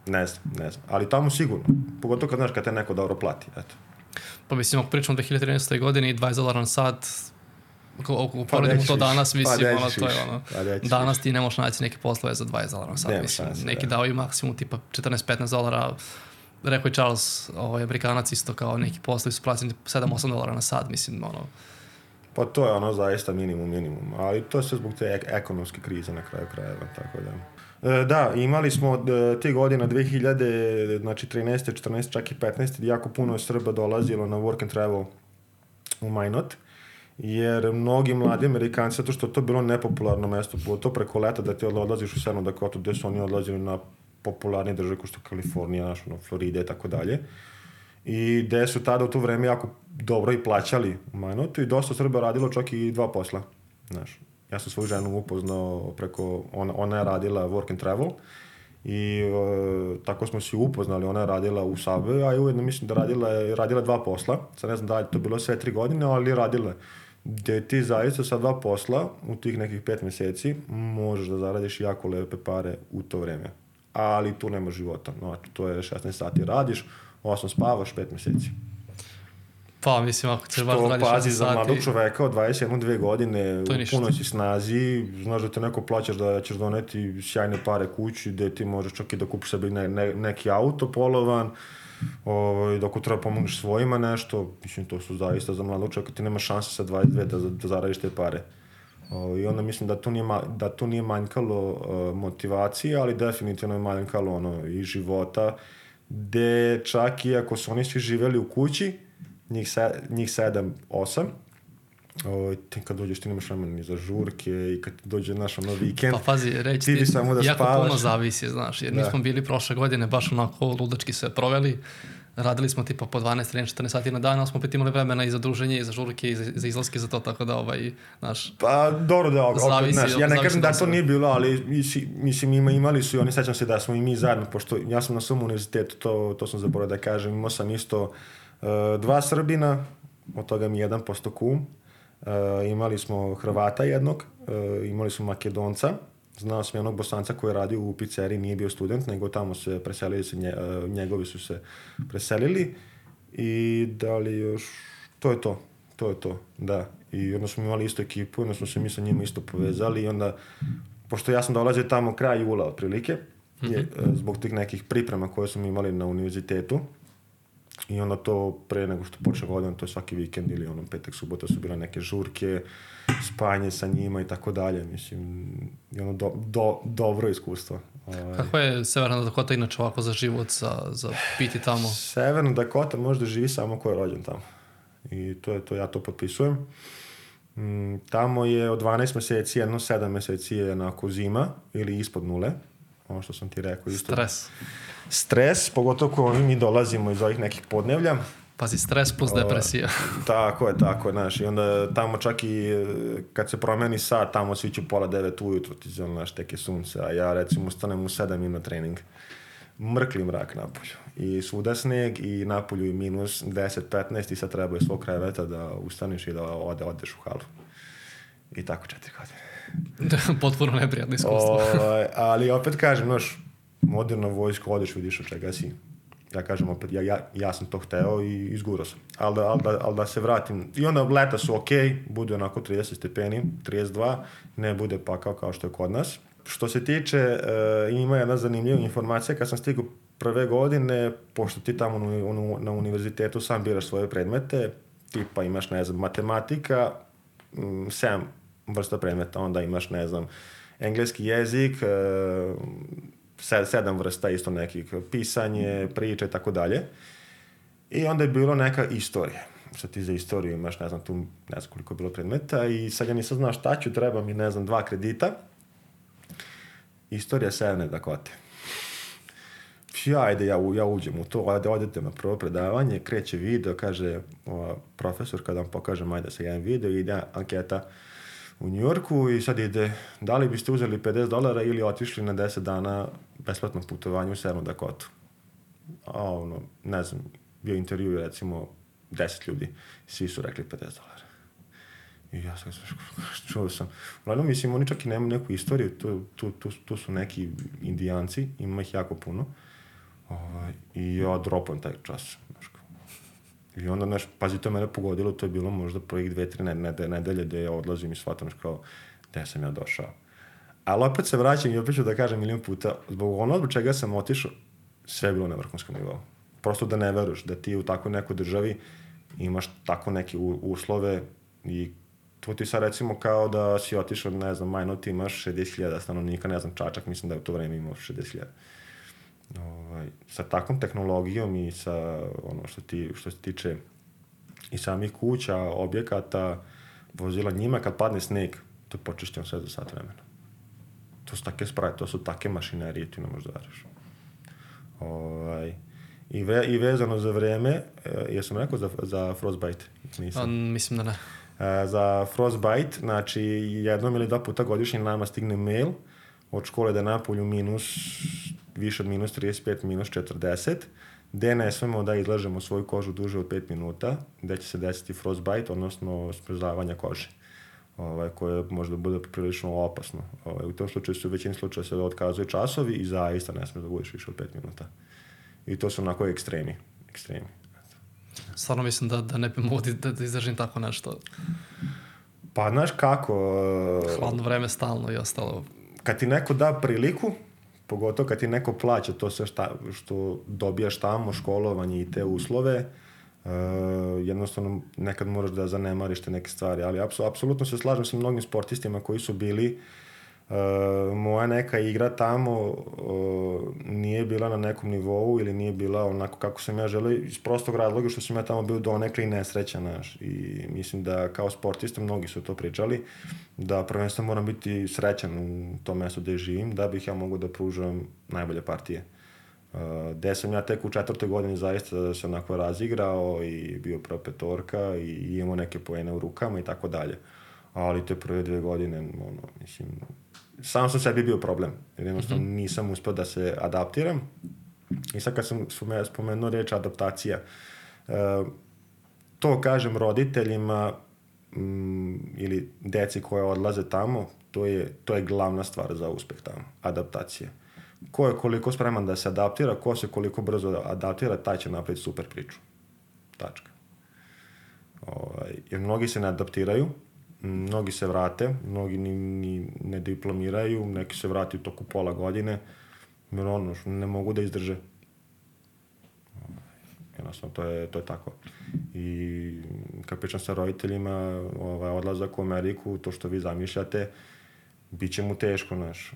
ne znam, ali tamo sigurno, pogotovo kad znaš kad te neko dobro plati, eto. Pa mislim, ako pričamo o 2013. godini i $20 na sat, ako poredimo to danas, mislim, to je danas ti ne možeš naći neke poslove za $20 na sat, mislim, neki daju maksimum tipa $14-15, rekao je Charles, Amerikanac isto kao neki poslovi su plaćeni $7-8 na sat, mislim, Pa to je ono zaista minimum, ali to je sve zbog te ekonomske krize na kraju krajeva, tako da. Da, imali smo te godine 2000, znači 13. 14. čak i 15. jako puno je Srba dolazilo na work and travel u Minot, jer mnogi mladi Amerikanci, zato što to bilo nepopularno mesto, bilo to preko leta da ti odlaziš u Severnu Dakotu, gde su oni odlazili na popularni države kao što je Kalifornija, Florida i tako dalje. I gde su tada u to vreme jako dobro i plaćali u Minotu i dosta Srba radilo čak i 2 posla. Znaš, ja sam svoju ženu upoznao preko, ona je radila work and travel i tako smo se upoznali, ona je radila u Subway, a i ujedno mislim da radila 2 posla, sad ne znam da li to bilo sve 3 godine, ali radila. Gde ti zaista sa 2 posla u tih nekih 5 meseci možeš da zaradiš jako lepe pare u to vreme. Ali tu nema života, znači to je 16 sati radiš, 8 spavaš, 5 meseci. Pa, mislim, ako ćeš baš da radiš 16 sati... Što pazi za mladog čoveka od 21-2 godine, u punoj si snazi, znaš da te neko plaćaš da ćeš doneti sjajne pare kući, gde ti možeš čak i da kupiš sebi neki auto polovan, dok treba pomogneš svojima nešto, mislim, to su zaista za mladog čoveka, ti nema šanse sa 22 da zaradiš te pare. I onda mislim da tu nije manjkalo motivacije, ali definitivno je manjkalo i života, gde čak i ako su oni svi živeli u kući, njih 7-8, ti kad dođeš ti nemaš vremena ni za žurke i kad dođe naš vikend, pa pazi, reći ti samo da jako spavaš. puno zavisi, znaš, jer mi smo bili prošle godine baš onako ludački sve proveli, radili smo tipa po 12, 13, 14 sati na dan, ali smo opet imali vremena i za druženje, i za žurke, i za izlaske, za to, tako da, znaš... Pa, dobro da, zavisi, znaš, ja ne kažem da to nije bilo, ali mislim, imali su i oni, sećam se da smo i mi zajedno, pošto ja sam na svom univerzitetu, to sam zaboravio da kažem, imao sam isto 2 Srbina, od toga mi 1 posto kum, imali smo Hrvata jednog, imali smo Makedonca, znao sam jednog Bosanca koji je radio u pizzeriji, nije bio student, nego tamo se preselili, njegovi su se preselili i da li još, to je to, da. I onda smo imali istu ekipu, onda smo se mi sa njima isto povezali i onda, pošto ja sam dolazio tamo kraj jula otprilike, zbog tih nekih priprema koje smo imali na univerzitetu, i onda to pre nego što počne godina, to je svaki vikend ili petak, subota su bile neke žurke, spanje sa njima i tako dalje, mislim, i dobro iskustvo. Kako je Severna Dakota inače ovako za život, za biti tamo? Severna Dakota možda živi samo ko je rođen tamo. I to je to, ja to potpisujem. Tamo je od 12 meseci, 7 meseci je onako zima ili ispod nule, ono što sam ti rekao. Isto. Stres, pogotovo ko mi dolazimo iz ovih nekih podnevlja. Pazi, stres plus depresija. Tako je, znaš, i onda tamo čak i kad se promeni sat, tamo svi će pola 9 ujutro, ti znaš, teke sunce, a ja recimo ustanem u 7 na trening. Mrkli mrak napolju. I svuda sneg i napolju i minus 10-15 i sad treba je svog kreveta da ustaneš i da odeš u halu. I tako 4 godine. Potpuno neprijatno iskustvo. Ali opet kažem, znaš, moderna vojska, odeš, vidiš od čega si. Ja kažem opet, ja sam to hteo i izgurao sam. Ali da se vratim. I onda leta su okej, bude onako 30 stepeni, 32, ne bude pakao kao što je kod nas. Što se tiče, ima jedna zanimljiva informacija, kad sam stigao prve godine, pošto ti tamo na univerzitetu sam biraš svoje predmete, tipa imaš, ne znam, matematika, 7 vrsta predmeta, onda imaš, ne znam, engleski jezik, 7 vrsta isto nekih, pisanje, priče i tako dalje. I onda je bilo neka istorija. Što ti za istoriju imaš, ne znam, tu ne znam koliko je bilo predmeta i sad ja nisam znao šta ću, treba mi, ne znam, 2 kredita. Istorija Severne Dakote. Ajde, ja uđem u to, odete na prvo predavanje, kreće video, kaže profesor, kada vam pokažem, ajde sa jedan video, ide anketa u Njujorku i sad ide, da li biste uzeli $50 ili otišli na 10 dana besplatno putovanje u Severnu Dakotu. Ne znam, bio intervju, recimo, 10 ljudi, svi su rekli $50. I ja sam čuo sam. Uglavnom, mislim, oni čak i nemaju neku istoriju, tu su neki Indijanci, ima ih jako puno. I ja dropam taj čas. I onda, pazi, to je mene pogodilo, to je bilo možda prvih 2-3 nedelje gde ja odlazim i shvatam gde sam ja došao. Ali opet se vraćam i opet ću da kažem milion puta, zbog čega sam otišao, sve je bilo na vrhunskom nivou. prosto da ne veruješ da ti u takvoj nekoj državi imaš tako neke uslove i to ti sad recimo kao da si otišao, ne znam, Majnot imaš 60.000 stanovnika, ne znam, Čačak, mislim da je u to vreme imao 60.000. Sa takvom tehnologijom i sa ono što se tiče i samih kuća, objekata, vozila, njima kad padne sneg, to je počišćeno sve za sat vremena. To su take sprave, to su take mašinerije, ti ne možeš da veriš. I vezano za vreme, jesam rekao za Frostbite? Nisam. Mislim da ne. Za Frostbite, znači jednom ili 2 puta godišnje nama stigne mail od škole da je napolju više od minus 35, minus 40, gde ne smemo da izlažemo svoju kožu duže od 5 minuta, gde će se desiti frostbite, odnosno smrzavanja kože, koje možda bude prilično opasno. U tom slučaju se u većini slučaja se otkazuje časovi i zaista ne smije da budeš više od 5 minuta. I to su onako ekstremi. Stvarno mislim da ne bi mogu da izdržim tako nešto. Pa, znaš kako... Hladno vreme stalno i ostalo. Kad ti neko da priliku, pogotovo kad ti neko plaća to sve što dobijaš tamo, školovanje i te uslove, jednostavno nekad moraš da zanemariš te neke stvari, ali apsolutno se slažem sa mnogim sportistima koji su bili, moja neka igra tamo nije bila na nekom nivou ili nije bila onako kako sam ja želeo, iz prostog razloga što sam ja tamo bio donekle i nesrećan, znaš, i mislim da kao sportista mnogi su to pričali, da prvenstveno moram biti srećan u tom mjestu gde živim, da bih ja mogao da pružam najbolje partije. Gde sam ja tek u 4. godini zaista se onako razigrao i bio prva petorka i imao neke poene u rukama i tako dalje. Ali te prve 2 godine, mislim, sam sebi bio problem, jer jednostavno nisam uspio da se adaptiram. I sad kad sam spomenuo reč adaptacija, to kažem roditeljima ili deci koje odlaze tamo, to je glavna stvar za uspeh tamo, adaptacija. Ko je koliko spreman da se adaptira, ko se koliko brzo adaptira, taj će napraviti super priču. Tačka. Jer mnogi se ne adaptiraju, mnogi se vrate, mnogi ni ne diplomiraju, neki se vrati u toku pola godine, jer ne mogu da izdrže. Jednostavno, to je tako. I kad pričam sa roditeljima, odlazak u Ameriku, to što vi zamišljate, bit će mu teško, znaš.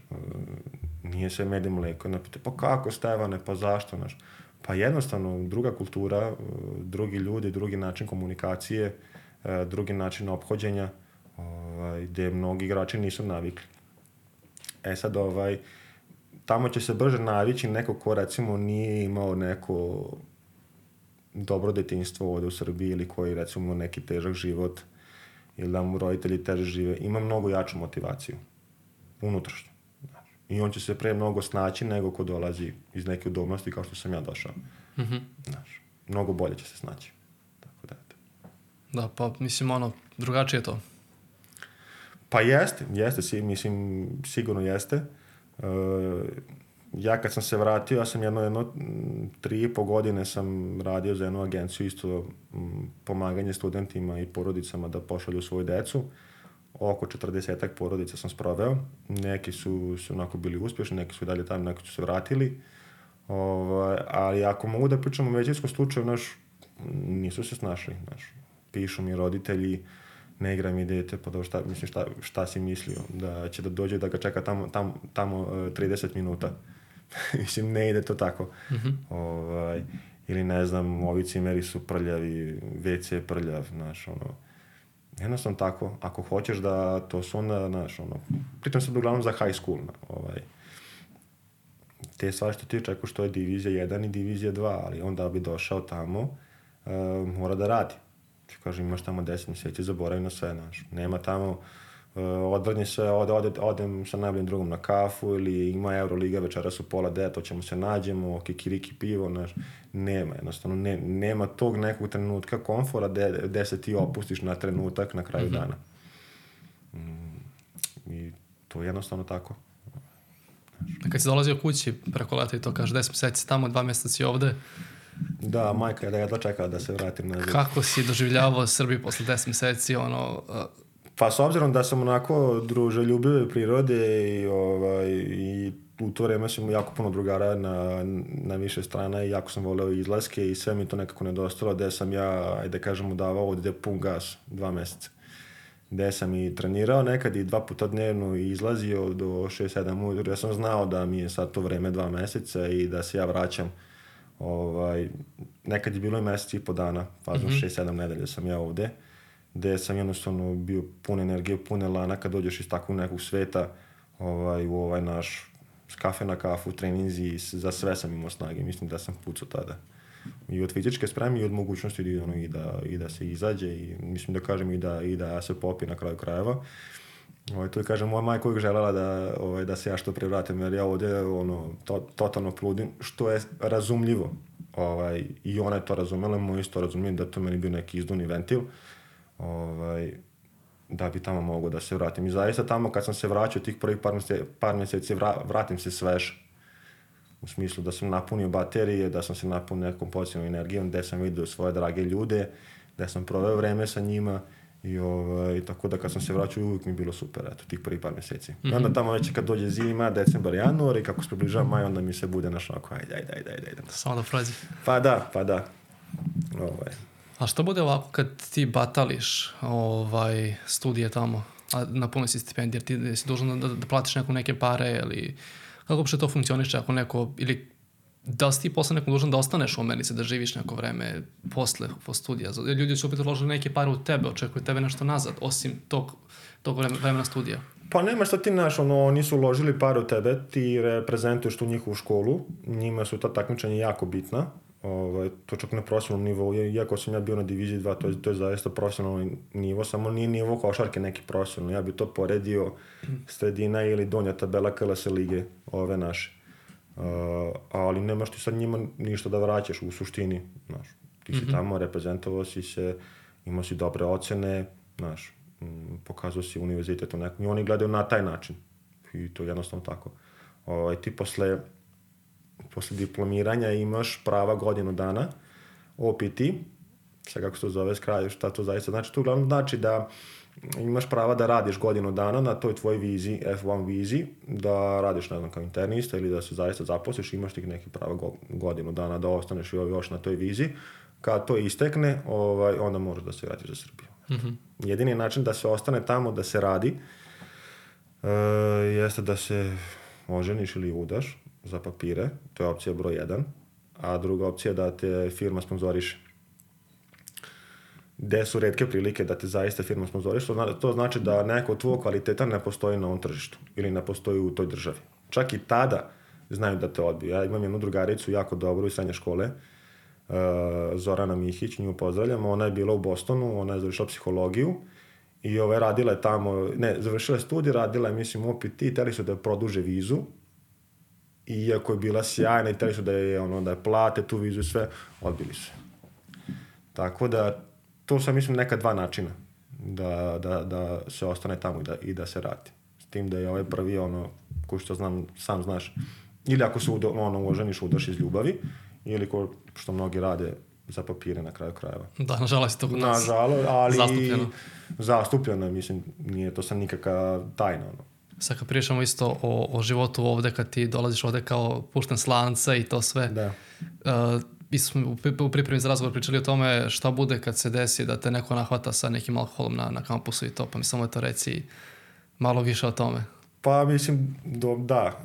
Nije sve med i mleko. Napite, pa kako, Stevane, pa zašto, znaš? Pa jednostavno, druga kultura, drugi ljudi, drugi način komunikacije, drugi način ophođenja, gde mnogi igrači nisu navikli. Sad, tamo će se brže navići neko ko, recimo, nije imao neko dobro detinjstvo ovde u Srbiji ili koji, recimo, neki težak život ili da mu roditelji teže žive, ima mnogo jaču motivaciju. Unutrašnju. I on će se pre mnogo snaći nego ko dolazi iz neke udobnosti kao što sam ja došao. Znaš, mnogo bolje će se snaći. Tako da, eto. Da, pa mislim, drugačije je to. Pa jeste, mislim, sigurno jeste. Ja kad sam se vratio, ja sam jedno 3,5 godine sam radio za jednu agenciju, isto pomaganje studentima i porodicama da pošalju svoju decu. Oko 40 porodica sam sproveo. Neki su onako bili uspješni, neki su dalje tamo, neki su se vratili. Ali ako mogu da pričam o većinskom slučaju, nisu se snašli. Pišu mi roditelji, ne igra mi dete, pa šta si mislio? Da će da dođe da ga čeka tamo 30 minuta. Mislim, ne ide to tako. Ili ne znam, ovi cimeri su prljavi, WC je prljav, znaš, jednostavno tako, ako hoćeš da to su onda, znaš, pritom sad uglavnom za high school, te stvari što ti očekuješ, što je divizija 1 i divizija 2, ali onda bi došao tamo, mora da radi. Kažem, imaš tamo 10 mjeseci, zaboravi na sve, znaš, nema tamo, odvrni se, odem sa najboljim drugom na kafu ili ima Euroliga večeras u 8:30, to ćemo se nađemo, kikiriki pivo, znaš, nema, jednostavno, nema tog nekog trenutka komfora gde se ti opustiš na trenutak na kraju dana. I to je jednostavno tako. Kad si dolazio kući preko leta i to kaže 10 mjeseci tamo, 2 mjeseca si ovde. Da, majka je da jedva čekala da se vratim nazad. Kako si doživljavao Srbiju posle 10 mjeseci, Pa s obzirom da sam onako druželjubive prirode i u to vreme sam jako puno drugara na više strana i jako sam voleo izlaske i sve mi to nekako nedostalo, gde sam ja, ajde kažemo, davao ovdje pun gas 2 meseca. Gde sam i trenirao nekad i 2 puta dnevno i izlazio do 6-7 ujutru. Ja sam znao da mi je sad to vreme 2 meseca i da se ja vraćam. Nekad je bilo i mesec i po dana, fazno 6-7 nedelja sam ja ovde, gde sam jednostavno bio pun energije, pun elana kad dođeš iz takvog nekog sveta u ovaj naš s kafe na kafu, treninzi, za sve sam imao snage, mislim da sam pucao tada. I od fizičke spreme i od mogućnosti i da se izađe i mislim da kažem i da se popi na kraju krajeva. To je, kažem, moja majka uvijek želela da se ja što pre vratim, jer ja ovdje totalno pludim, što je razumljivo. I ona je to razumela, moj isto razumijem da to meni bio neki izduvni ventil, da bi tamo mogao da se vratim. I zaista tamo kad sam se vraćao tih prvih par mjeseci, vratim se svež. U smislu da sam napunio baterije, da sam se napunio nekom pozitivnom energijom, gde sam vidio svoje drage ljude, gde sam proveo vreme sa njima i tako da kad sam se vraćao uvijek mi je bilo super, tih prvih par mjeseci. I onda tamo već kad dođe zima, decembar, januar i kako se približava maj, onda mi se bude naš onako, ajde. Samo da prođe. Pa da. A što bude ovako kad ti batališ studije tamo, a na punoj si stipendije, jer ti si dužan da platiš neke pare ili kako uopšte to funkcioniše ako neko, ili da li si ti posle nekom dužan da ostaneš u Americi, da živiš neko vreme posle studija? Ljudi su opet uložili neke pare u tebe, očekuju tebe nešto nazad, osim tog vremena studija. Pa nema šta ti oni su uložili pare u tebe, ti reprezentuješ tu njihovu školu, njima su ta takmičenja jako bitna, to čak na profesionalnom nivou, iako sam ja bio na diviziji 2, to je zaista profesionalni nivo, samo nije nivo košarke neki profesionalni, ja bi to poredio sredina ili donja tabela KLS lige, ove naše. Ali nemaš ti sad njima ništa da vraćaš u suštini, znaš. Ti si tamo, reprezentovao si se, imao si dobre ocene, znaš, pokazao si univerzitet u nekom, i oni gledaju na taj način. I to je jednostavno tako. Ti posle diplomiranja imaš prava godinu dana OPT, sad kako se to zove skraju, šta to zaista znači, to uglavnom znači da imaš prava da radiš godinu dana na toj tvoj vizi, F1 vizi, da radiš, ne znam, kao internista ili da se zaista zaposliš, imaš tih nekih prava godinu dana da ostaneš još na toj vizi. Kad to istekne, onda možeš da se vratiš za Srbiju. Jedini način da se ostane tamo, da se radi, jeste da se oženiš ili udaš za papire, to je opcija broj 1, a druga opcija je da te firma sponzoriše. Gde su retke prilike da te zaista firma sponzoriše, to znači da neko od tvojeg kvaliteta ne postoji na ovom tržištu ili ne postoji u toj državi. Čak i tada znaju da te odbiju. Ja imam jednu drugaricu jako dobru iz srednje škole, Zorana Mihić, nju pozdravljam, ona je bila u Bostonu, ona je završila psihologiju i radila je tamo, završila je studij, radila je, mislim, OPT, hteli su da je produže vizu, iako je bila sjajna i hteli su da je plate tu vizu i sve, odbili su. Tako da, to sam, mislim, neka 2 načina da se ostane tamo i da se radi. S tim da je ovaj prvi, ko što znam, sam znaš, ili ako se oženiš, udaš iz ljubavi, ili ko što mnogi rade za papire na kraju krajeva. Da, nažalost je to kod nas ali zastupljeno, mislim, nije to sad nikakva tajna. Sad kad pričamo isto o životu ovde, kad ti dolaziš ovde kao pušten s lanca i to sve, mi smo u pripremi za razgovor pričali o tome šta bude kad se desi da te neko nahvata sa nekim alkoholom na kampusu i to, pa mi samo to reci malo više o tome. Pa mislim, da,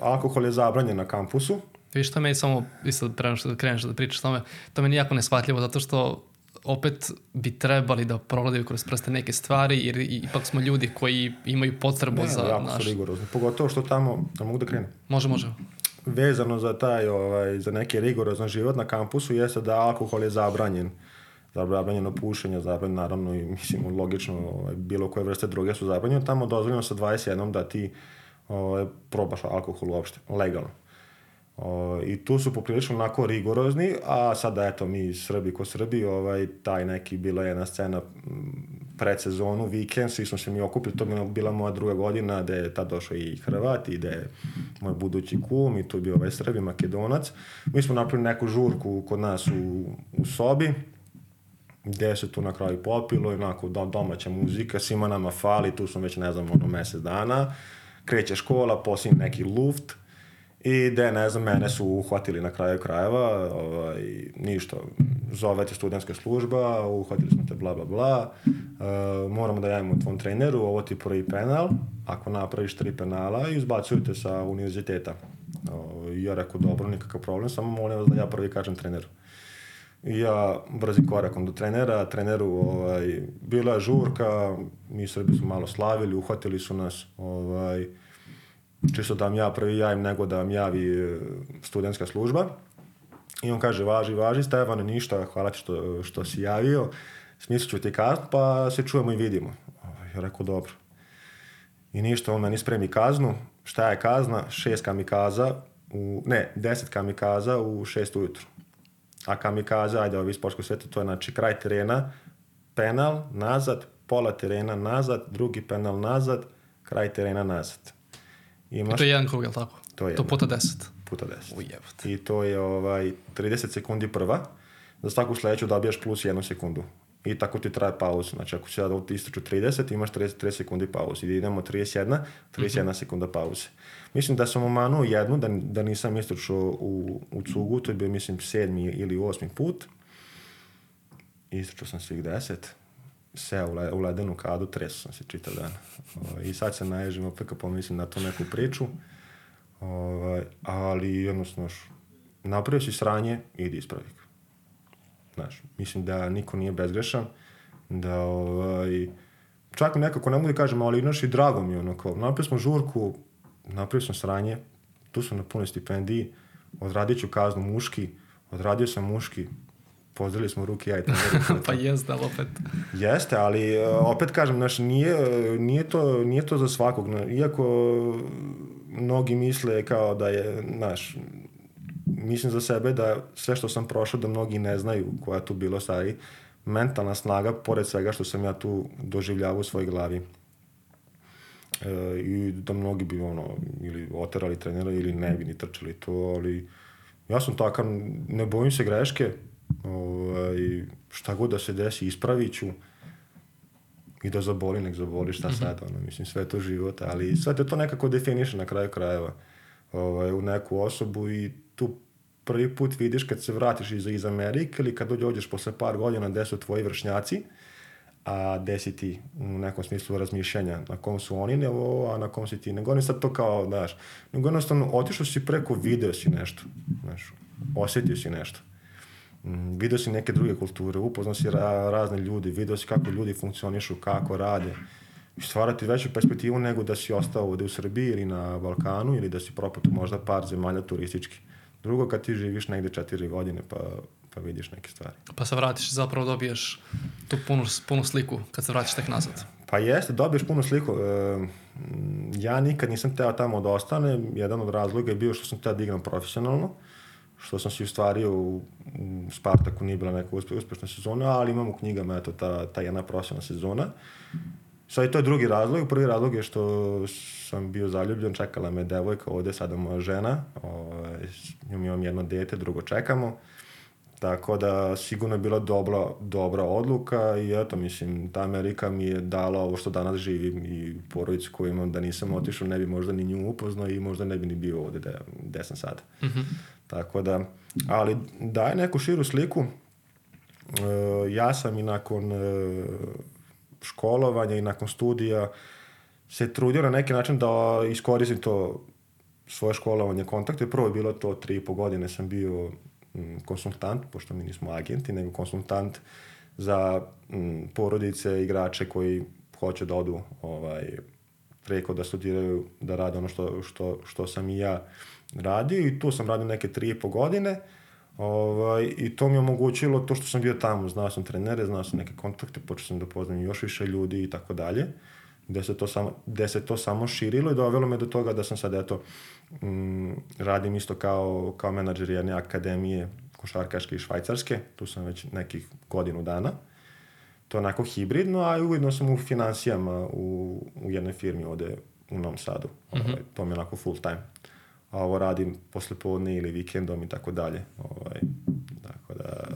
alkohol je zabranjen na kampusu. Viš, to meni samo, isto da kreneš da pričaš o tome, to meni jako neshvatljivo, zato što opet bi trebali da progledaju kroz prste neke stvari, jer ipak smo ljudi koji imaju potrebu za jako naš... su rigorozni, pogotovo što tamo, mogu da krenem? Može. Vezano za taj, za neki rigorozan život na kampusu jeste da alkohol je zabranjen. Zabranjeno pušenje, zabranjeno, naravno, i mislim, logično, bilo koje vrste droge su zabranjene. Tamo dozvoljeno sa 21 da ti probaš alkohol uopšte, legalno. I tu su poprilično onako rigorozni, a sada eto mi Srbi ko Srbi, taj neki, bila je jedna scena pred sezonu, vikend, svi smo se mi okupili, to je bila moja 2. godina, gde je tad došao i Hrvat, i gde je moj budući kum, i tu je bio Srbi, Makedonac. Mi smo napravili neku žurku kod nas u sobi, gde se tu na kraju popilo, onako domaća muzika, svima nama fali, tu smo već, ne znam, mesec dana, kreće škola, poslije neki luft, i gde, ne znam, mene su uhvatili na kraju krajeva, ništa, zove te studentska služba, uhvatili smo te, bla, bla, bla, moramo da javimo tvom treneru, ovo ti prvi penal, ako napraviš 3 penala, izbacuju te sa univerziteta. Ja rekao, dobro, nikakav problem, samo molim vas da ja prvi kažem treneru. I ja brzi korakom do trenera, treneru bila je žurka, mi Srbi su malo slavili, uhvatili su nas, čisto da vam ja prvi javim nego da vam javi studentska služba. I on kaže, važi, Stefane, ništa, hvala ti što si javio, smislit ću ti kaznu, pa se čujemo i vidimo. Ja rekao, dobro. I ništa, on meni spremi kaznu. Šta je kazna? 10 kamikaza u 6 ujutru. A kamikaza, ajde, ovi sportskog sveta, to je znači kraj terena, penal, nazad, pola terena, nazad, drugi penal, nazad, kraj terena, nazad. I to je jedan krug, je li tako? To puta 10. Puta 10. Ujebate. I to je 30 sekundi prva. Za svaku sledeću dobijaš plus 1 sekundu. I tako ti traje pauza. Znači, ako si sada ističu 30, imaš 30 sekundi pauze. I idemo 31 sekunda pauze. Mislim da sam omanuo jednu, da nisam ističao u cugu. To je bio, mislim, 7. ili 8. put. Ističao sam svih 10. Seo u ledenu kadu, tresu sam se čitav dan. I sad se naježim, opet kad pomislim na tu neku priču. Ali jednostavno, napravio si sranje, idi ispravi. Znaš, mislim da niko nije bezgrešan, da čak mi nekako ne mogu da kažem, ali znaš, i drago mi je onako. Napravili smo žurku, napravio sam sranje, tu sam na punoj stipendiji, odradit ću kaznu muški, odradio sam muški, pozdravili smo ruke, ja i tamo. Pa jeste, ali opet. Jeste, ali opet kažem, znaš, nije to za svakog. Iako mnogi misle kao da je, znaš, mislim za sebe da sve što sam prošao da mnogi ne znaju koja je tu bilo stvari. Mentalna snaga, pored svega što sam ja tu doživljavao u svojoj glavi. I da mnogi bi ili oterali trenera ili ne bi ni trčali to, ali ja sam takav, ne bojim se greške, šta god da se desi ispravit ću i da zaboli, nek zaboli, šta sad, mislim, sve to život, ali sve te to nekako definiše na kraju krajeva u neku osobu i tu prvi put vidiš kad se vratiš iz Amerike ili kad dođeš posle par godina gde su tvoji vršnjaci, a gde si ti u nekom smislu razmišljanja na kom su oni, a na kom si ti. Nego ne sad to kao, znaš, nego jednostavno otišao si preko, video si nešto, znaš, osjetio si nešto. Video si neke druge kulture, upoznao si razne ljudi, video si kako ljudi funkcionišu, kako rade. I stvarati veću perspektivu nego da si ostao ovde u Srbiji ili na Balkanu ili da si propatio možda par zemalja turistički. Drugo, kad ti živiš negde 4 godine pa vidiš neke stvari. Pa se vratiš, zapravo dobiješ tu punu sliku kad se vratiš tek nazad. Pa jeste, dobiješ punu sliku. Ja nikad nisam teo tamo da ostane. Jedan od razloga je bio što sam teo da igram profesionalno, što sam si ostvario u Spartaku, nije bila neka uspešna sezona, ali imam u knjigama ta jedna profesionalna sezona. Sad i to je drugi razlog. Prvi razlog je što sam bio zaljubljen, čekala me devojka, ovde sada moja žena, imam jedno dete, drugo čekamo, tako da sigurno je bila dobra odluka i eto, mislim, ta Amerika mi je dala ovo što danas živim i porodicu koju imam, da nisam otišao, ne bi možda ni nju upoznao i možda ne bi ni bio ovde gde sam sada. Mm-hmm. Tako da, ali daje neku širu sliku. Ja sam i nakon školovanja i nakon studija se trudio na neki način da iskoristim to svoje školovanje, kontakte. Prvo je bilo to 3,5 godine sam bio konsultant, pošto mi nismo agenti, nego konsultant za porodice, igrače koji hoće da odu preko da studiraju, da rade ono što sam i ja radio i tu sam radio neke 3,5 godine. I to mi je omogućilo to što sam bio tamo, znao sam trenere, znao sam neke kontakte, počeo sam da poznam još više ljudi i tako dalje, gde se to samo širilo i dovelo me do toga da sam sad radim isto kao menadžer jedne akademije košarkaške i švajcarske, tu sam već nekih godinu dana, to je onako hibridno, a ujedno sam u finansijama u jednoj firmi ovde u Novom Sadu, to mi je onako full time. A ovo radim poslepodne ili vikendom i tako dalje. Tako da,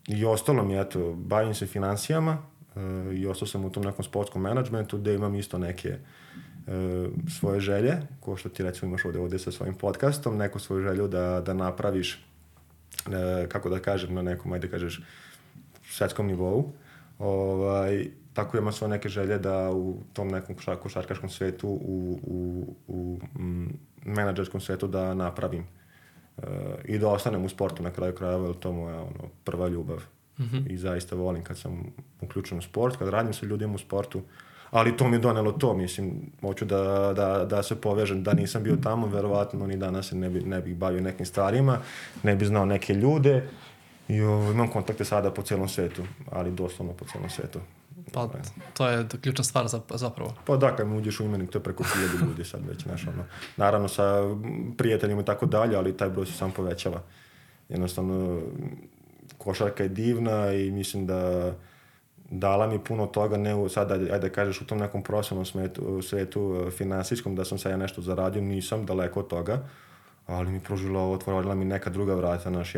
I ostalo mi, eto, bavim se financijama i ostao sam u tom nekom sportskom menadžmentu gde imam isto neke svoje želje, ko što ti recimo imaš ovde sa svojim podcastom, neku svoju želju da napraviš, kako da kažem, na nekom, ajde kažeš, svetskom nivou. Tako imam svoje neke želje da u tom nekom košarkaškom svetu, u menadžerskom svetu da napravim. I da ostanem u sportu na kraju krajeva, jer to je moja prva ljubav. I zaista volim kad sam uključen u sport, kad radim sa ljudima u sportu, ali to mi je donelo to, mislim, hoću da se povežem, da nisam bio tamo, verovatno ni danas se ne bih bavio nekim stvarima, ne bih znao neke ljude i imam kontakte sada po celom svetu, ali doslovno po celom svetu. Pa to je ključna stvar zapravo. Pa da, kad mi uđeš u imenik, to je preko 1000 ljudi sad već, znaš, naravno sa prijateljima i tako dalje, ali taj broj se sam povećava. Jednostavno, košarka je divna i mislim da dala mi puno toga, ne sad, ajde kažeš, u tom nekom profesionalnom svetu finansijskom, da sam sad ja nešto zaradio, nisam daleko od toga, ali mi otvorila mi neka druga vrata, znaš,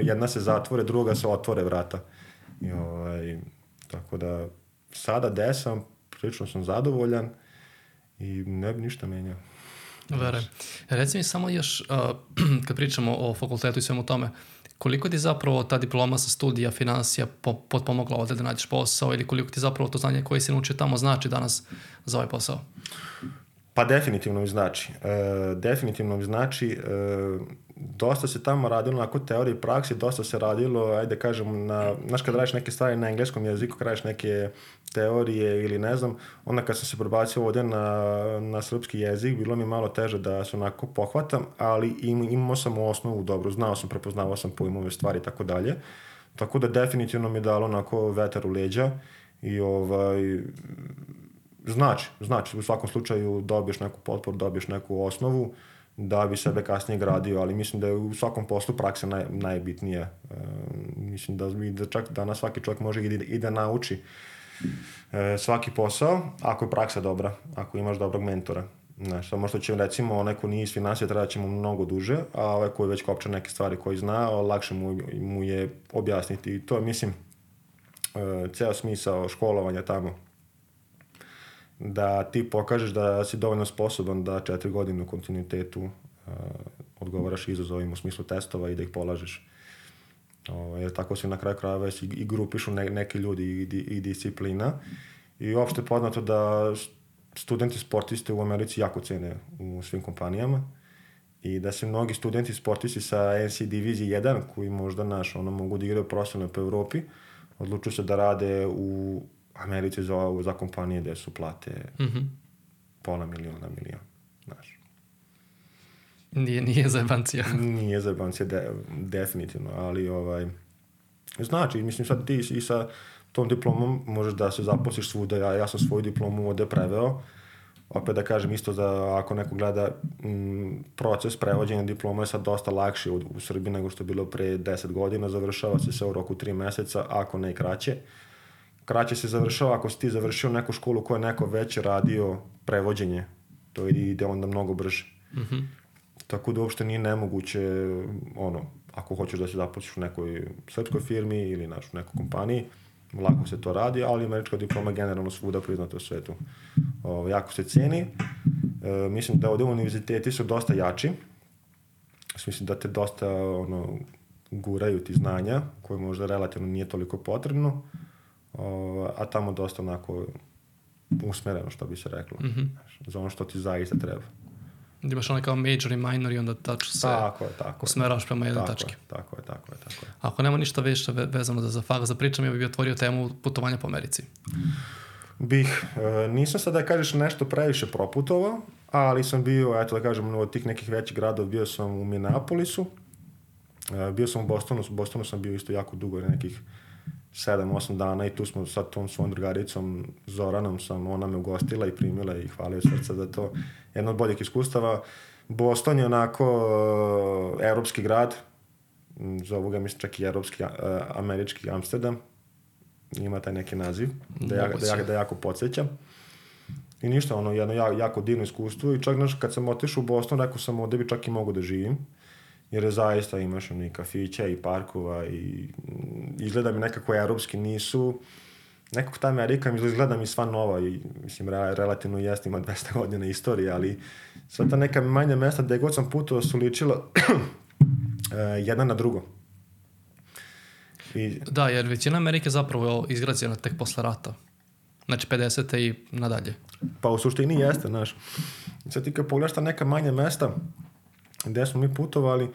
jedna se zatvore, druga se otvore vrata. Tako da, sada gde sam, prilično sam zadovoljan i ne bi ništa menjao. Verujem. Reci mi samo još, kad pričamo o fakultetu i svemu tome, koliko ti zapravo ta diploma sa studija finansija potpomogla ovde da nađeš posao ili koliko ti zapravo to znanje koje si naučio tamo znači danas za ovaj posao? Pa definitivno mi znači. Definitivno mi znači. Dosta se tamo radilo na teoriji i praksi, dosta se radilo, ajde kažem, znaš kad radiš neke stvari na engleskom jeziku, kad radiš neke teorije ili ne znam, onda kad sam se prebacio ovdje na srpski jezik, bilo mi malo teže da se onako pohvatam, ali imao sam osnovu dobro, znao sam, prepoznavao sam pojmove stvari i tako dalje. Tako da definitivno mi je dalo onako vetar u leđa i znači, u svakom slučaju dobiješ neku potporu, dobiješ neku osnovu da bi sebe kasnije gradio, ali mislim da je u svakom poslu praksa najbitnija. Mislim da čak danas svaki čovjek može i da nauči svaki posao, ako je praksa dobra, ako imaš dobrog mentora. Znaš, samo što će recimo onaj ko nije iz finansija treba će mu mnogo duže, a ovaj koji već kopča neke stvari koji zna, lakše mu je objasniti. I to je, mislim, ceo smisao školovanja tamo. Da ti pokažeš da si dovoljno sposoban da 4 godine u kontinuitetu odgovaraš izazovima u smislu testova i da ih polažeš. Jer tako se na kraju krajeva i grupišu neki ljudi i disciplina. I uopšte poznato da studenti sportiste u Americi jako cene u svim kompanijama i da se mnogi studenti sportisti sa NC divizije 1 koji možda mogu da igraju profesionalno po Evropi, odlučuju se da rade u Americi za kompanije gde su plate $500,000, znaš. Nije zajebancija. Nije zajebancija, definitivno, ali znači, mislim sad ti i sa tom diplomom možeš da se zaposliš svuda, ja sam svoju diplomu ovde preveo, opet da kažem isto da ako neko gleda proces prevođenja diploma je sad dosta lakši u Srbiji nego što je bilo pre 10 godina, završava se sve u roku 3 meseca, ako ne i kraće. Kraće se završava ako si ti završio neku školu koja je neko već radio prevođenje. To ide onda mnogo brže. Tako da uopšte nije nemoguće, ako hoćeš da se zaposliš u nekoj srpskoj firmi ili u nekoj kompaniji, lako se to radi, ali američka diploma generalno svuda priznata u svetu. Jako se ceni. Mislim da ovdje univerziteti su dosta jači. Mislim da te dosta guraju ti znanja, koje možda relativno nije toliko potrebno. A tamo dosta onako usmereno, što bi se reklo, za ono što ti zaista treba. Imaš ono kao major i minor i onda tačno se usmeraš prema jednoj tački. Tako je. Ako nema ništa više vezano za fakt, za pričam, ja bih otvorio temu putovanja po Americi. Nisam sad da kažeš nešto previše proputovao, ali sam bio, eto da kažem, od tih nekih većih gradova, bio sam u Minneapolisu, bio sam u Bostonu sam bio isto jako dugo, nekih 7-8 dana i tu smo sad tom svojom drugaricom Zoranom ona me ugostila i primila i hvala joj srca za to. Jedno od boljih iskustava. Boston je onako evropski grad, zovu ga mislim čak i evropski, američki Amsterdam, ima taj neki naziv, da jako podsjećam. I ništa, jedno jako divno iskustvo i čak kad sam otišao u Boston, rekao sam ovdje bi čak i mogu da živim. jer je zaista imaš i kafića i parkova i izgleda mi nekako europski nisu. Nekako ta Amerika mi izgleda mi sva nova i mislim relativno jest, ima 200 godina istorije, ali sva ta neka manja mesta gde god sam putovao su ličila jedna na drugo. Da, jer većina Amerike zapravo je izgrađena tek posle rata. Znači 50. i nadalje. Pa u suštini jeste, znaš. Sad ti kad pogledaš ta neka manja mesta gde smo mi putovali,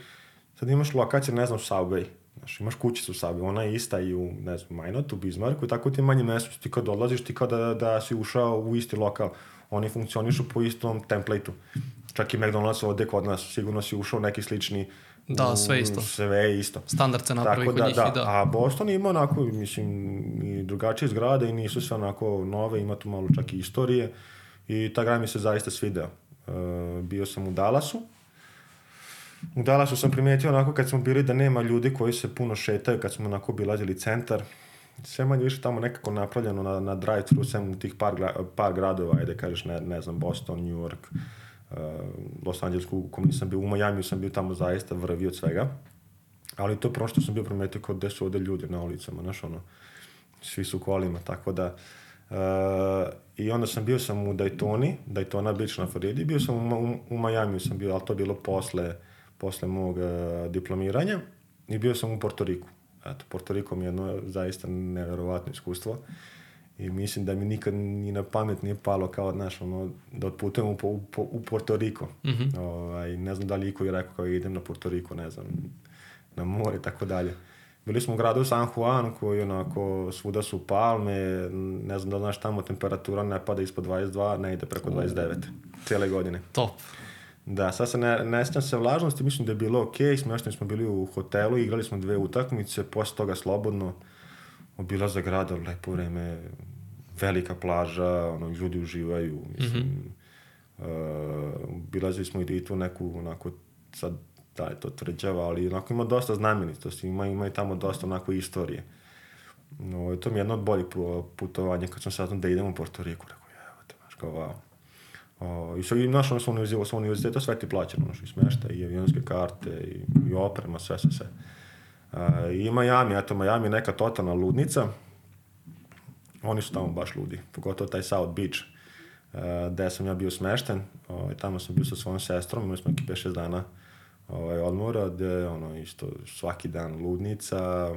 sad imaš lokaciju, ne znam, Subway. Znaš, imaš kućicu Subway, ona je ista i u, ne znam, Majnotu, Bismarcku i tako ti manje mjesto. Ti kad odlaziš, ti kao da si ušao u isti lokal. Oni funkcionišu po istom templateu. Čak i McDonald's ovde kod nas, sigurno si ušao neki slični. Da, sve isto. Sve isto. Standard se napravi kod njih i da. A Boston ima onako, mislim, i drugačije zgrade i nisu sve onako nove, ima tu malo čak i istorije. I ta grad mi se zaista svideo. Bio sam u Dallasu. U Dallasu sam primijetio onako kad smo bili da nema ljudi koji se puno šetaju, kad smo onako obilazili centar. Sve manje više tamo nekako napravljeno na drive-thru, sem u tih par gradova, ajde kažeš, ne znam, Boston, New York, Los Angeles, u kom nisam bio, u Miami sam bio tamo zaista vrvi od svega. Ali to prvo što sam bio primetio kao gde su ovde ljudi na ulicama, znaš, ono, svi su kolima, tako da. I onda bio sam u Daytona Beach na Floridi, bio sam u Miami sam bio, ali to je bilo posle mog diplomiranja i bio sam u Porto Riku. Eto, Porto Riko mi je jedno zaista neverovatno iskustvo i mislim da mi nikad ni na pamet nije palo kao, znaš, ono, da otputujem u Porto Riko. Ne znam da li iko je rekao kao idem na Porto Riko, ne znam, na more i tako dalje. Bili smo u gradu San Juan koji onako svuda su palme, ne znam da znaš tamo temperatura ne pada ispod 22, ne ide preko 29 cijele godine. Top. Da, sad se ne sjećam se vlažnosti, mislim da je bilo okej, smešteni smo bili u hotelu, igrali smo 2 utakmice, posle toga slobodno obilazak grada, lepo vreme, velika plaža, ono, ljudi uživaju, mislim, obilazili smo i tu neku, onako, sad, da je to tvrđava, ali onako ima dosta znamenitosti, ima i tamo dosta onako istorije. No, to mi je jedno od boljih putovanja, kad sam saznao da idem u Porto Riku, rekao, evo te, znaš, kao, wow. I naš ono sa univerzitetu sve ti plaćeno, i smešta, i avionske karte, i oprema, sve. I Miami, Miami je neka totalna ludnica, oni su tamo baš ludi, pogotovo taj South Beach, gde sam ja bio smešten, tamo sam bio sa svojom sestrom, imali smo neki 5-6 dana odmora, gde isto svaki dan ludnica,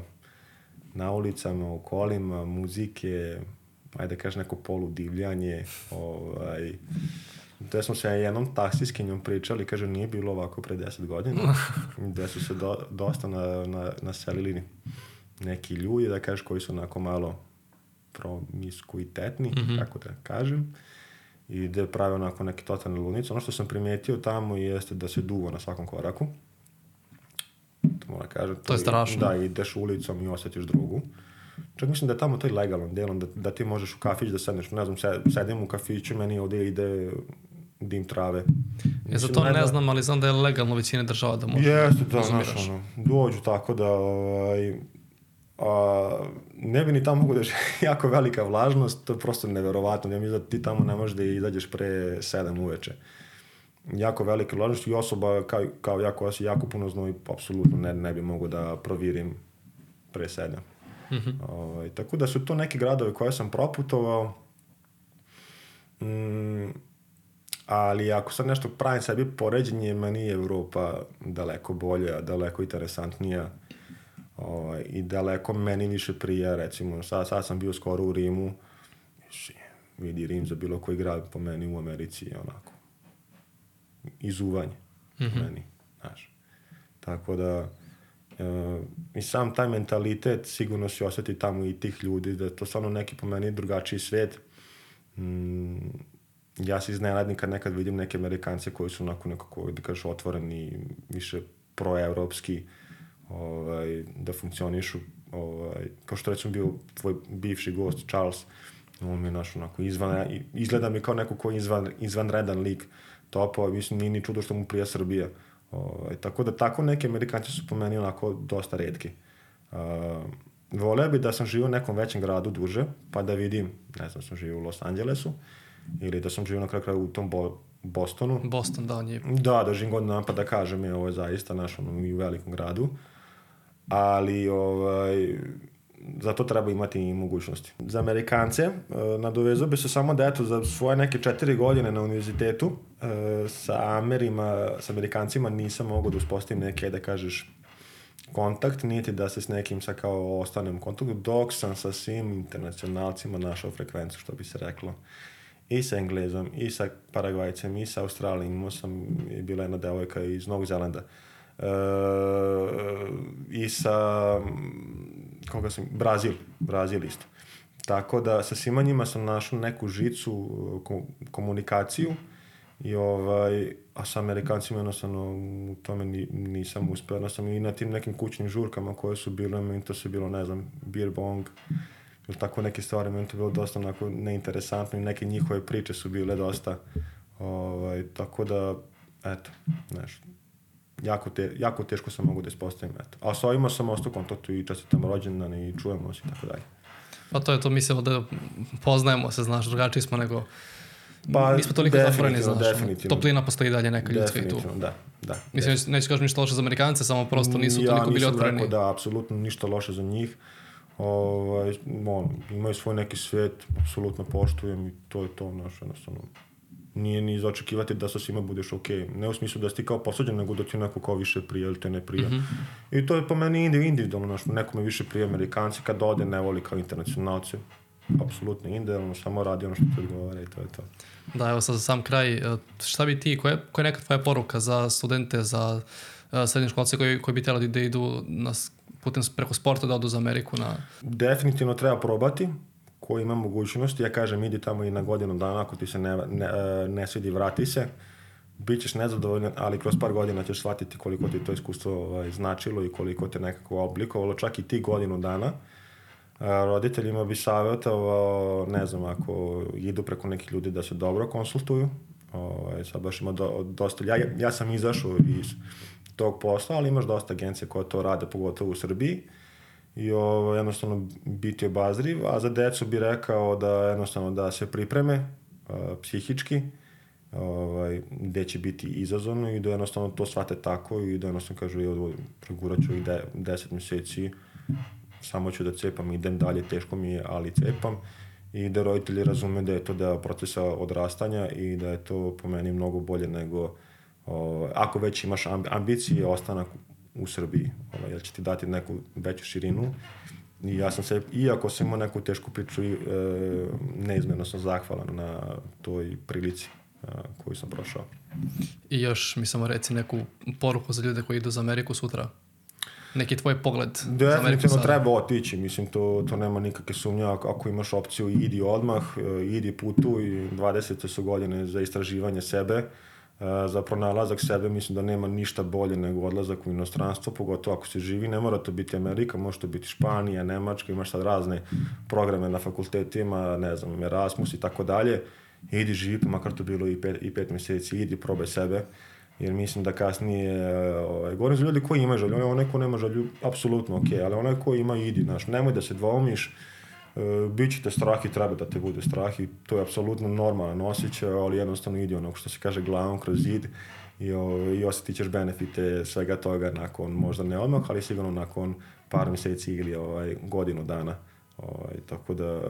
na ulicama, u kolima, muzike, ajde kažeš neko poludivljanje, gde smo se jednom taksiskinjom pričali, kaže, nije bilo ovako pre 10 godina, gde su se dosta naselili neki ljudi, da kažeš, koji su onako malo promiskuitetni, kako da kažem, i gde prave onako neke totalne ludnice. Ono što sam primetio tamo jeste da se duva na svakom koraku. To moram kažem. To je strašno. Da, ideš ulicom i osjetiš drugu. Čak mislim da je tamo to i legalno delom, da ti možeš u kafić da sedneš, ne znam, sedim u kafiću, meni ovdje ide dim trave. Za to ne znam, ali znam da je legalno većine država da možeš. Jeste, da, znaš, dođu tako da, ne bi ni tamo mogu da je jako velika vlažnost, to je prosto neverovatno, ja mislim da ti tamo ne možeš da izađeš pre 7 uveče. Jako velika vlažnost i osoba kao ja koja se jako puno znoji, apsolutno ne bi mogu da provirim pre 7. Tako da su to neki gradovi koje sam proputovao, ali ako sad nešto pravim sebi poređenje, meni je Evropa daleko bolja, daleko interesantnija i daleko meni više prija, recimo sad sam bio skoro u Rimu, vidi Rim za bilo koji grad po meni u Americi je onako izuvanje meni, znaš, tako da i sam taj mentalitet sigurno se osjeti tamo i tih ljudi, da je to stvarno neki po meni drugačiji svijet. Ja se iznenadim kad nekad vidim neke Amerikance koji su onako nekako, da kažeš, otvoreni, više proevropski, da funkcionišu, kao što recimo bio tvoj bivši gost Charles, on mi je naš onako izgleda mi kao neko koji je izvanredan lik topo, mislim nije ni čudo što mu prija Srbija. Tako da tako neki Amerikanci su po meni onako dosta retki. Voleo bi da sam živio u nekom većem gradu duže, pa da vidim, ne znam, sam živio u Los Angelesu, ili da sam živio na kraju u tom Bostonu. Boston, da, on je... Da, držim god napad da kažem je ovo je zaista naš i u velikom gradu. Ali zato treba imati i mogućnosti. Za Amerikance nadovezao bi se samo da eto za svoje neke 4 godine na univerzitetu sa Amerikancima nisam mogao da uspostavim neke, da kažeš, kontakt, niti da se s nekim sa kao ostanem u kontaktu, dok sam sa svim internacionalcima našao frekvenciju, što bi se reklo. I sa Englezom, i sa Paragvajcem, i sa Australijom. Imao sam, bila jedna devojka iz Novog Zelanda. I sa Brazil isto. Tako da sa svima njima sam našao neku žicu, komunikaciju i a sa Amerikancima jednostavno u tome nisam uspeo. Jednostavno i na tim nekim kućnim žurkama koje su bile, meni to su bilo, ne znam, beer bong ili tako neke stvari, meni to bilo dosta onako neinteresantno i neke njihove priče su bile dosta tako da, eto, nešto. Jako teško sam mogu da ispostavim, eto. A sa ovima sam ostao u kontaktu i čestitam rođendan i čujemo se i tako dalje. Pa to je to, mislimo da poznajemo se, znaš, drugačiji smo nego... mi smo toliko zatvoreni, znaš. Toplina postoji dalje neka ljudska i tu. Da. Mislim, neću kažem ništa loše za Amerikance, samo prosto nisu toliko bili otvoreni. Ja nisam rekao da, apsolutno ništa loše za njih. Imaju svoj neki svijet, apsolutno poštujem i to je to, znaš, jednostavno. Nije ni za očekivati da sa svima budeš okej. Ne u smislu da si ti kao posuđen, nego da ti neko kao više prija ili te ne prija. I to je po meni individualno, nekome više prija Amerikanci, kad ode ne voli kao internacionalci. Apsolutno individualno, samo radi ono što ti odgovara i to je to. Da, evo sad za sam kraj, šta bi ti, koja je neka tvoja poruka za studente, za srednjoškolce koji bi trebali da idu putem preko sporta da odu za Ameriku? Definitivno treba probati. Ko ima mogućnosti, ja kažem idi tamo i na godinu dana, ako ti se ne svidi, vrati se. Bićeš nezadovoljan, ali kroz par godina ćeš shvatiti koliko ti to iskustvo značilo i koliko te nekako oblikovalo, čak i ti godinu dana. Roditeljima bi savjetovao, ne znam, ako idu preko nekih ljudi da se dobro konsultuju. Sad baš ima dosta, ja sam izašao iz tog posla, ali imaš dosta agencije koje to rade, pogotovo u Srbiji. I jednostavno biti obazriv, a za decu bi rekao da jednostavno da se pripreme psihički, gde će biti izazovno i da jednostavno to shvate tako i da jednostavno kažu progurat ću i 10 mjeseci, samo ću da cepam, idem dalje, teško mi je, ali cepam i da roditelji razume da je to deo procesa odrastanja i da je to po meni mnogo bolje nego ako već imaš ambicije, ostanak u Srbiji, jer će ti dati neku veću širinu i ja sam se, iako sam imao neku tešku priču, neizmjerno sam zahvalan na toj prilici koju sam prošao. I još mi samo reci neku poruku za ljude koji idu za Ameriku sutra. Neki tvoj pogled za Ameriku sada. Definitivno treba otići, mislim, to nema nikakve sumnje, ako imaš opciju idi odmah, idi putuj, 20 su godine za istraživanje sebe, za pronalazak sebe, mislim da nema ništa bolje nego odlazak u inostranstvo, pogotovo ako se živi, ne mora to biti Amerika, može to biti Španija, Nemačka, imaš sad razne programe na fakultetima, ne znam, Erasmus i tako dalje, idi živi, pa makar to bilo i 5 mjeseci, idi probaj sebe, jer mislim da kasnije, govorim za ljudi koji imaju želju, onaj ko nema želju, apsolutno okej, ali onaj ko ima, idi, znaš, nemoj da se dvoumiš, bit će te strah i treba da te bude strah i to je apsolutno normalan osjećaj, ali jednostavno idi onog što se kaže glavom kroz zid i osjetit ćeš benefite svega toga nakon, možda ne odmah, ali sigurno nakon par mjeseci ili godinu dana. Tako da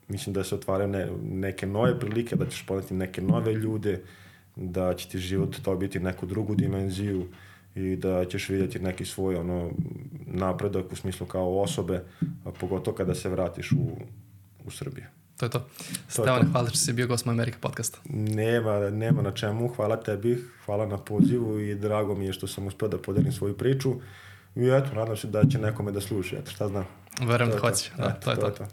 mislim da se otvaraju neke nove prilike, da ćeš poneti neke nove ljude, da će ti život dobiti neku drugu dimenziju i da ćeš vidjeti neki svoj napredak u smislu kao osobe, pogotovo kada se vratiš u Srbiju. To je to. Stevane, hvala što si bio gost Moja Amerika podcasta. Nema na čemu, hvala tebi, hvala na pozivu i drago mi je što sam uspio da podelim svoju priču i eto, nadam se da će nekome da sluša, šta znam. Verujem da hoće. To je to.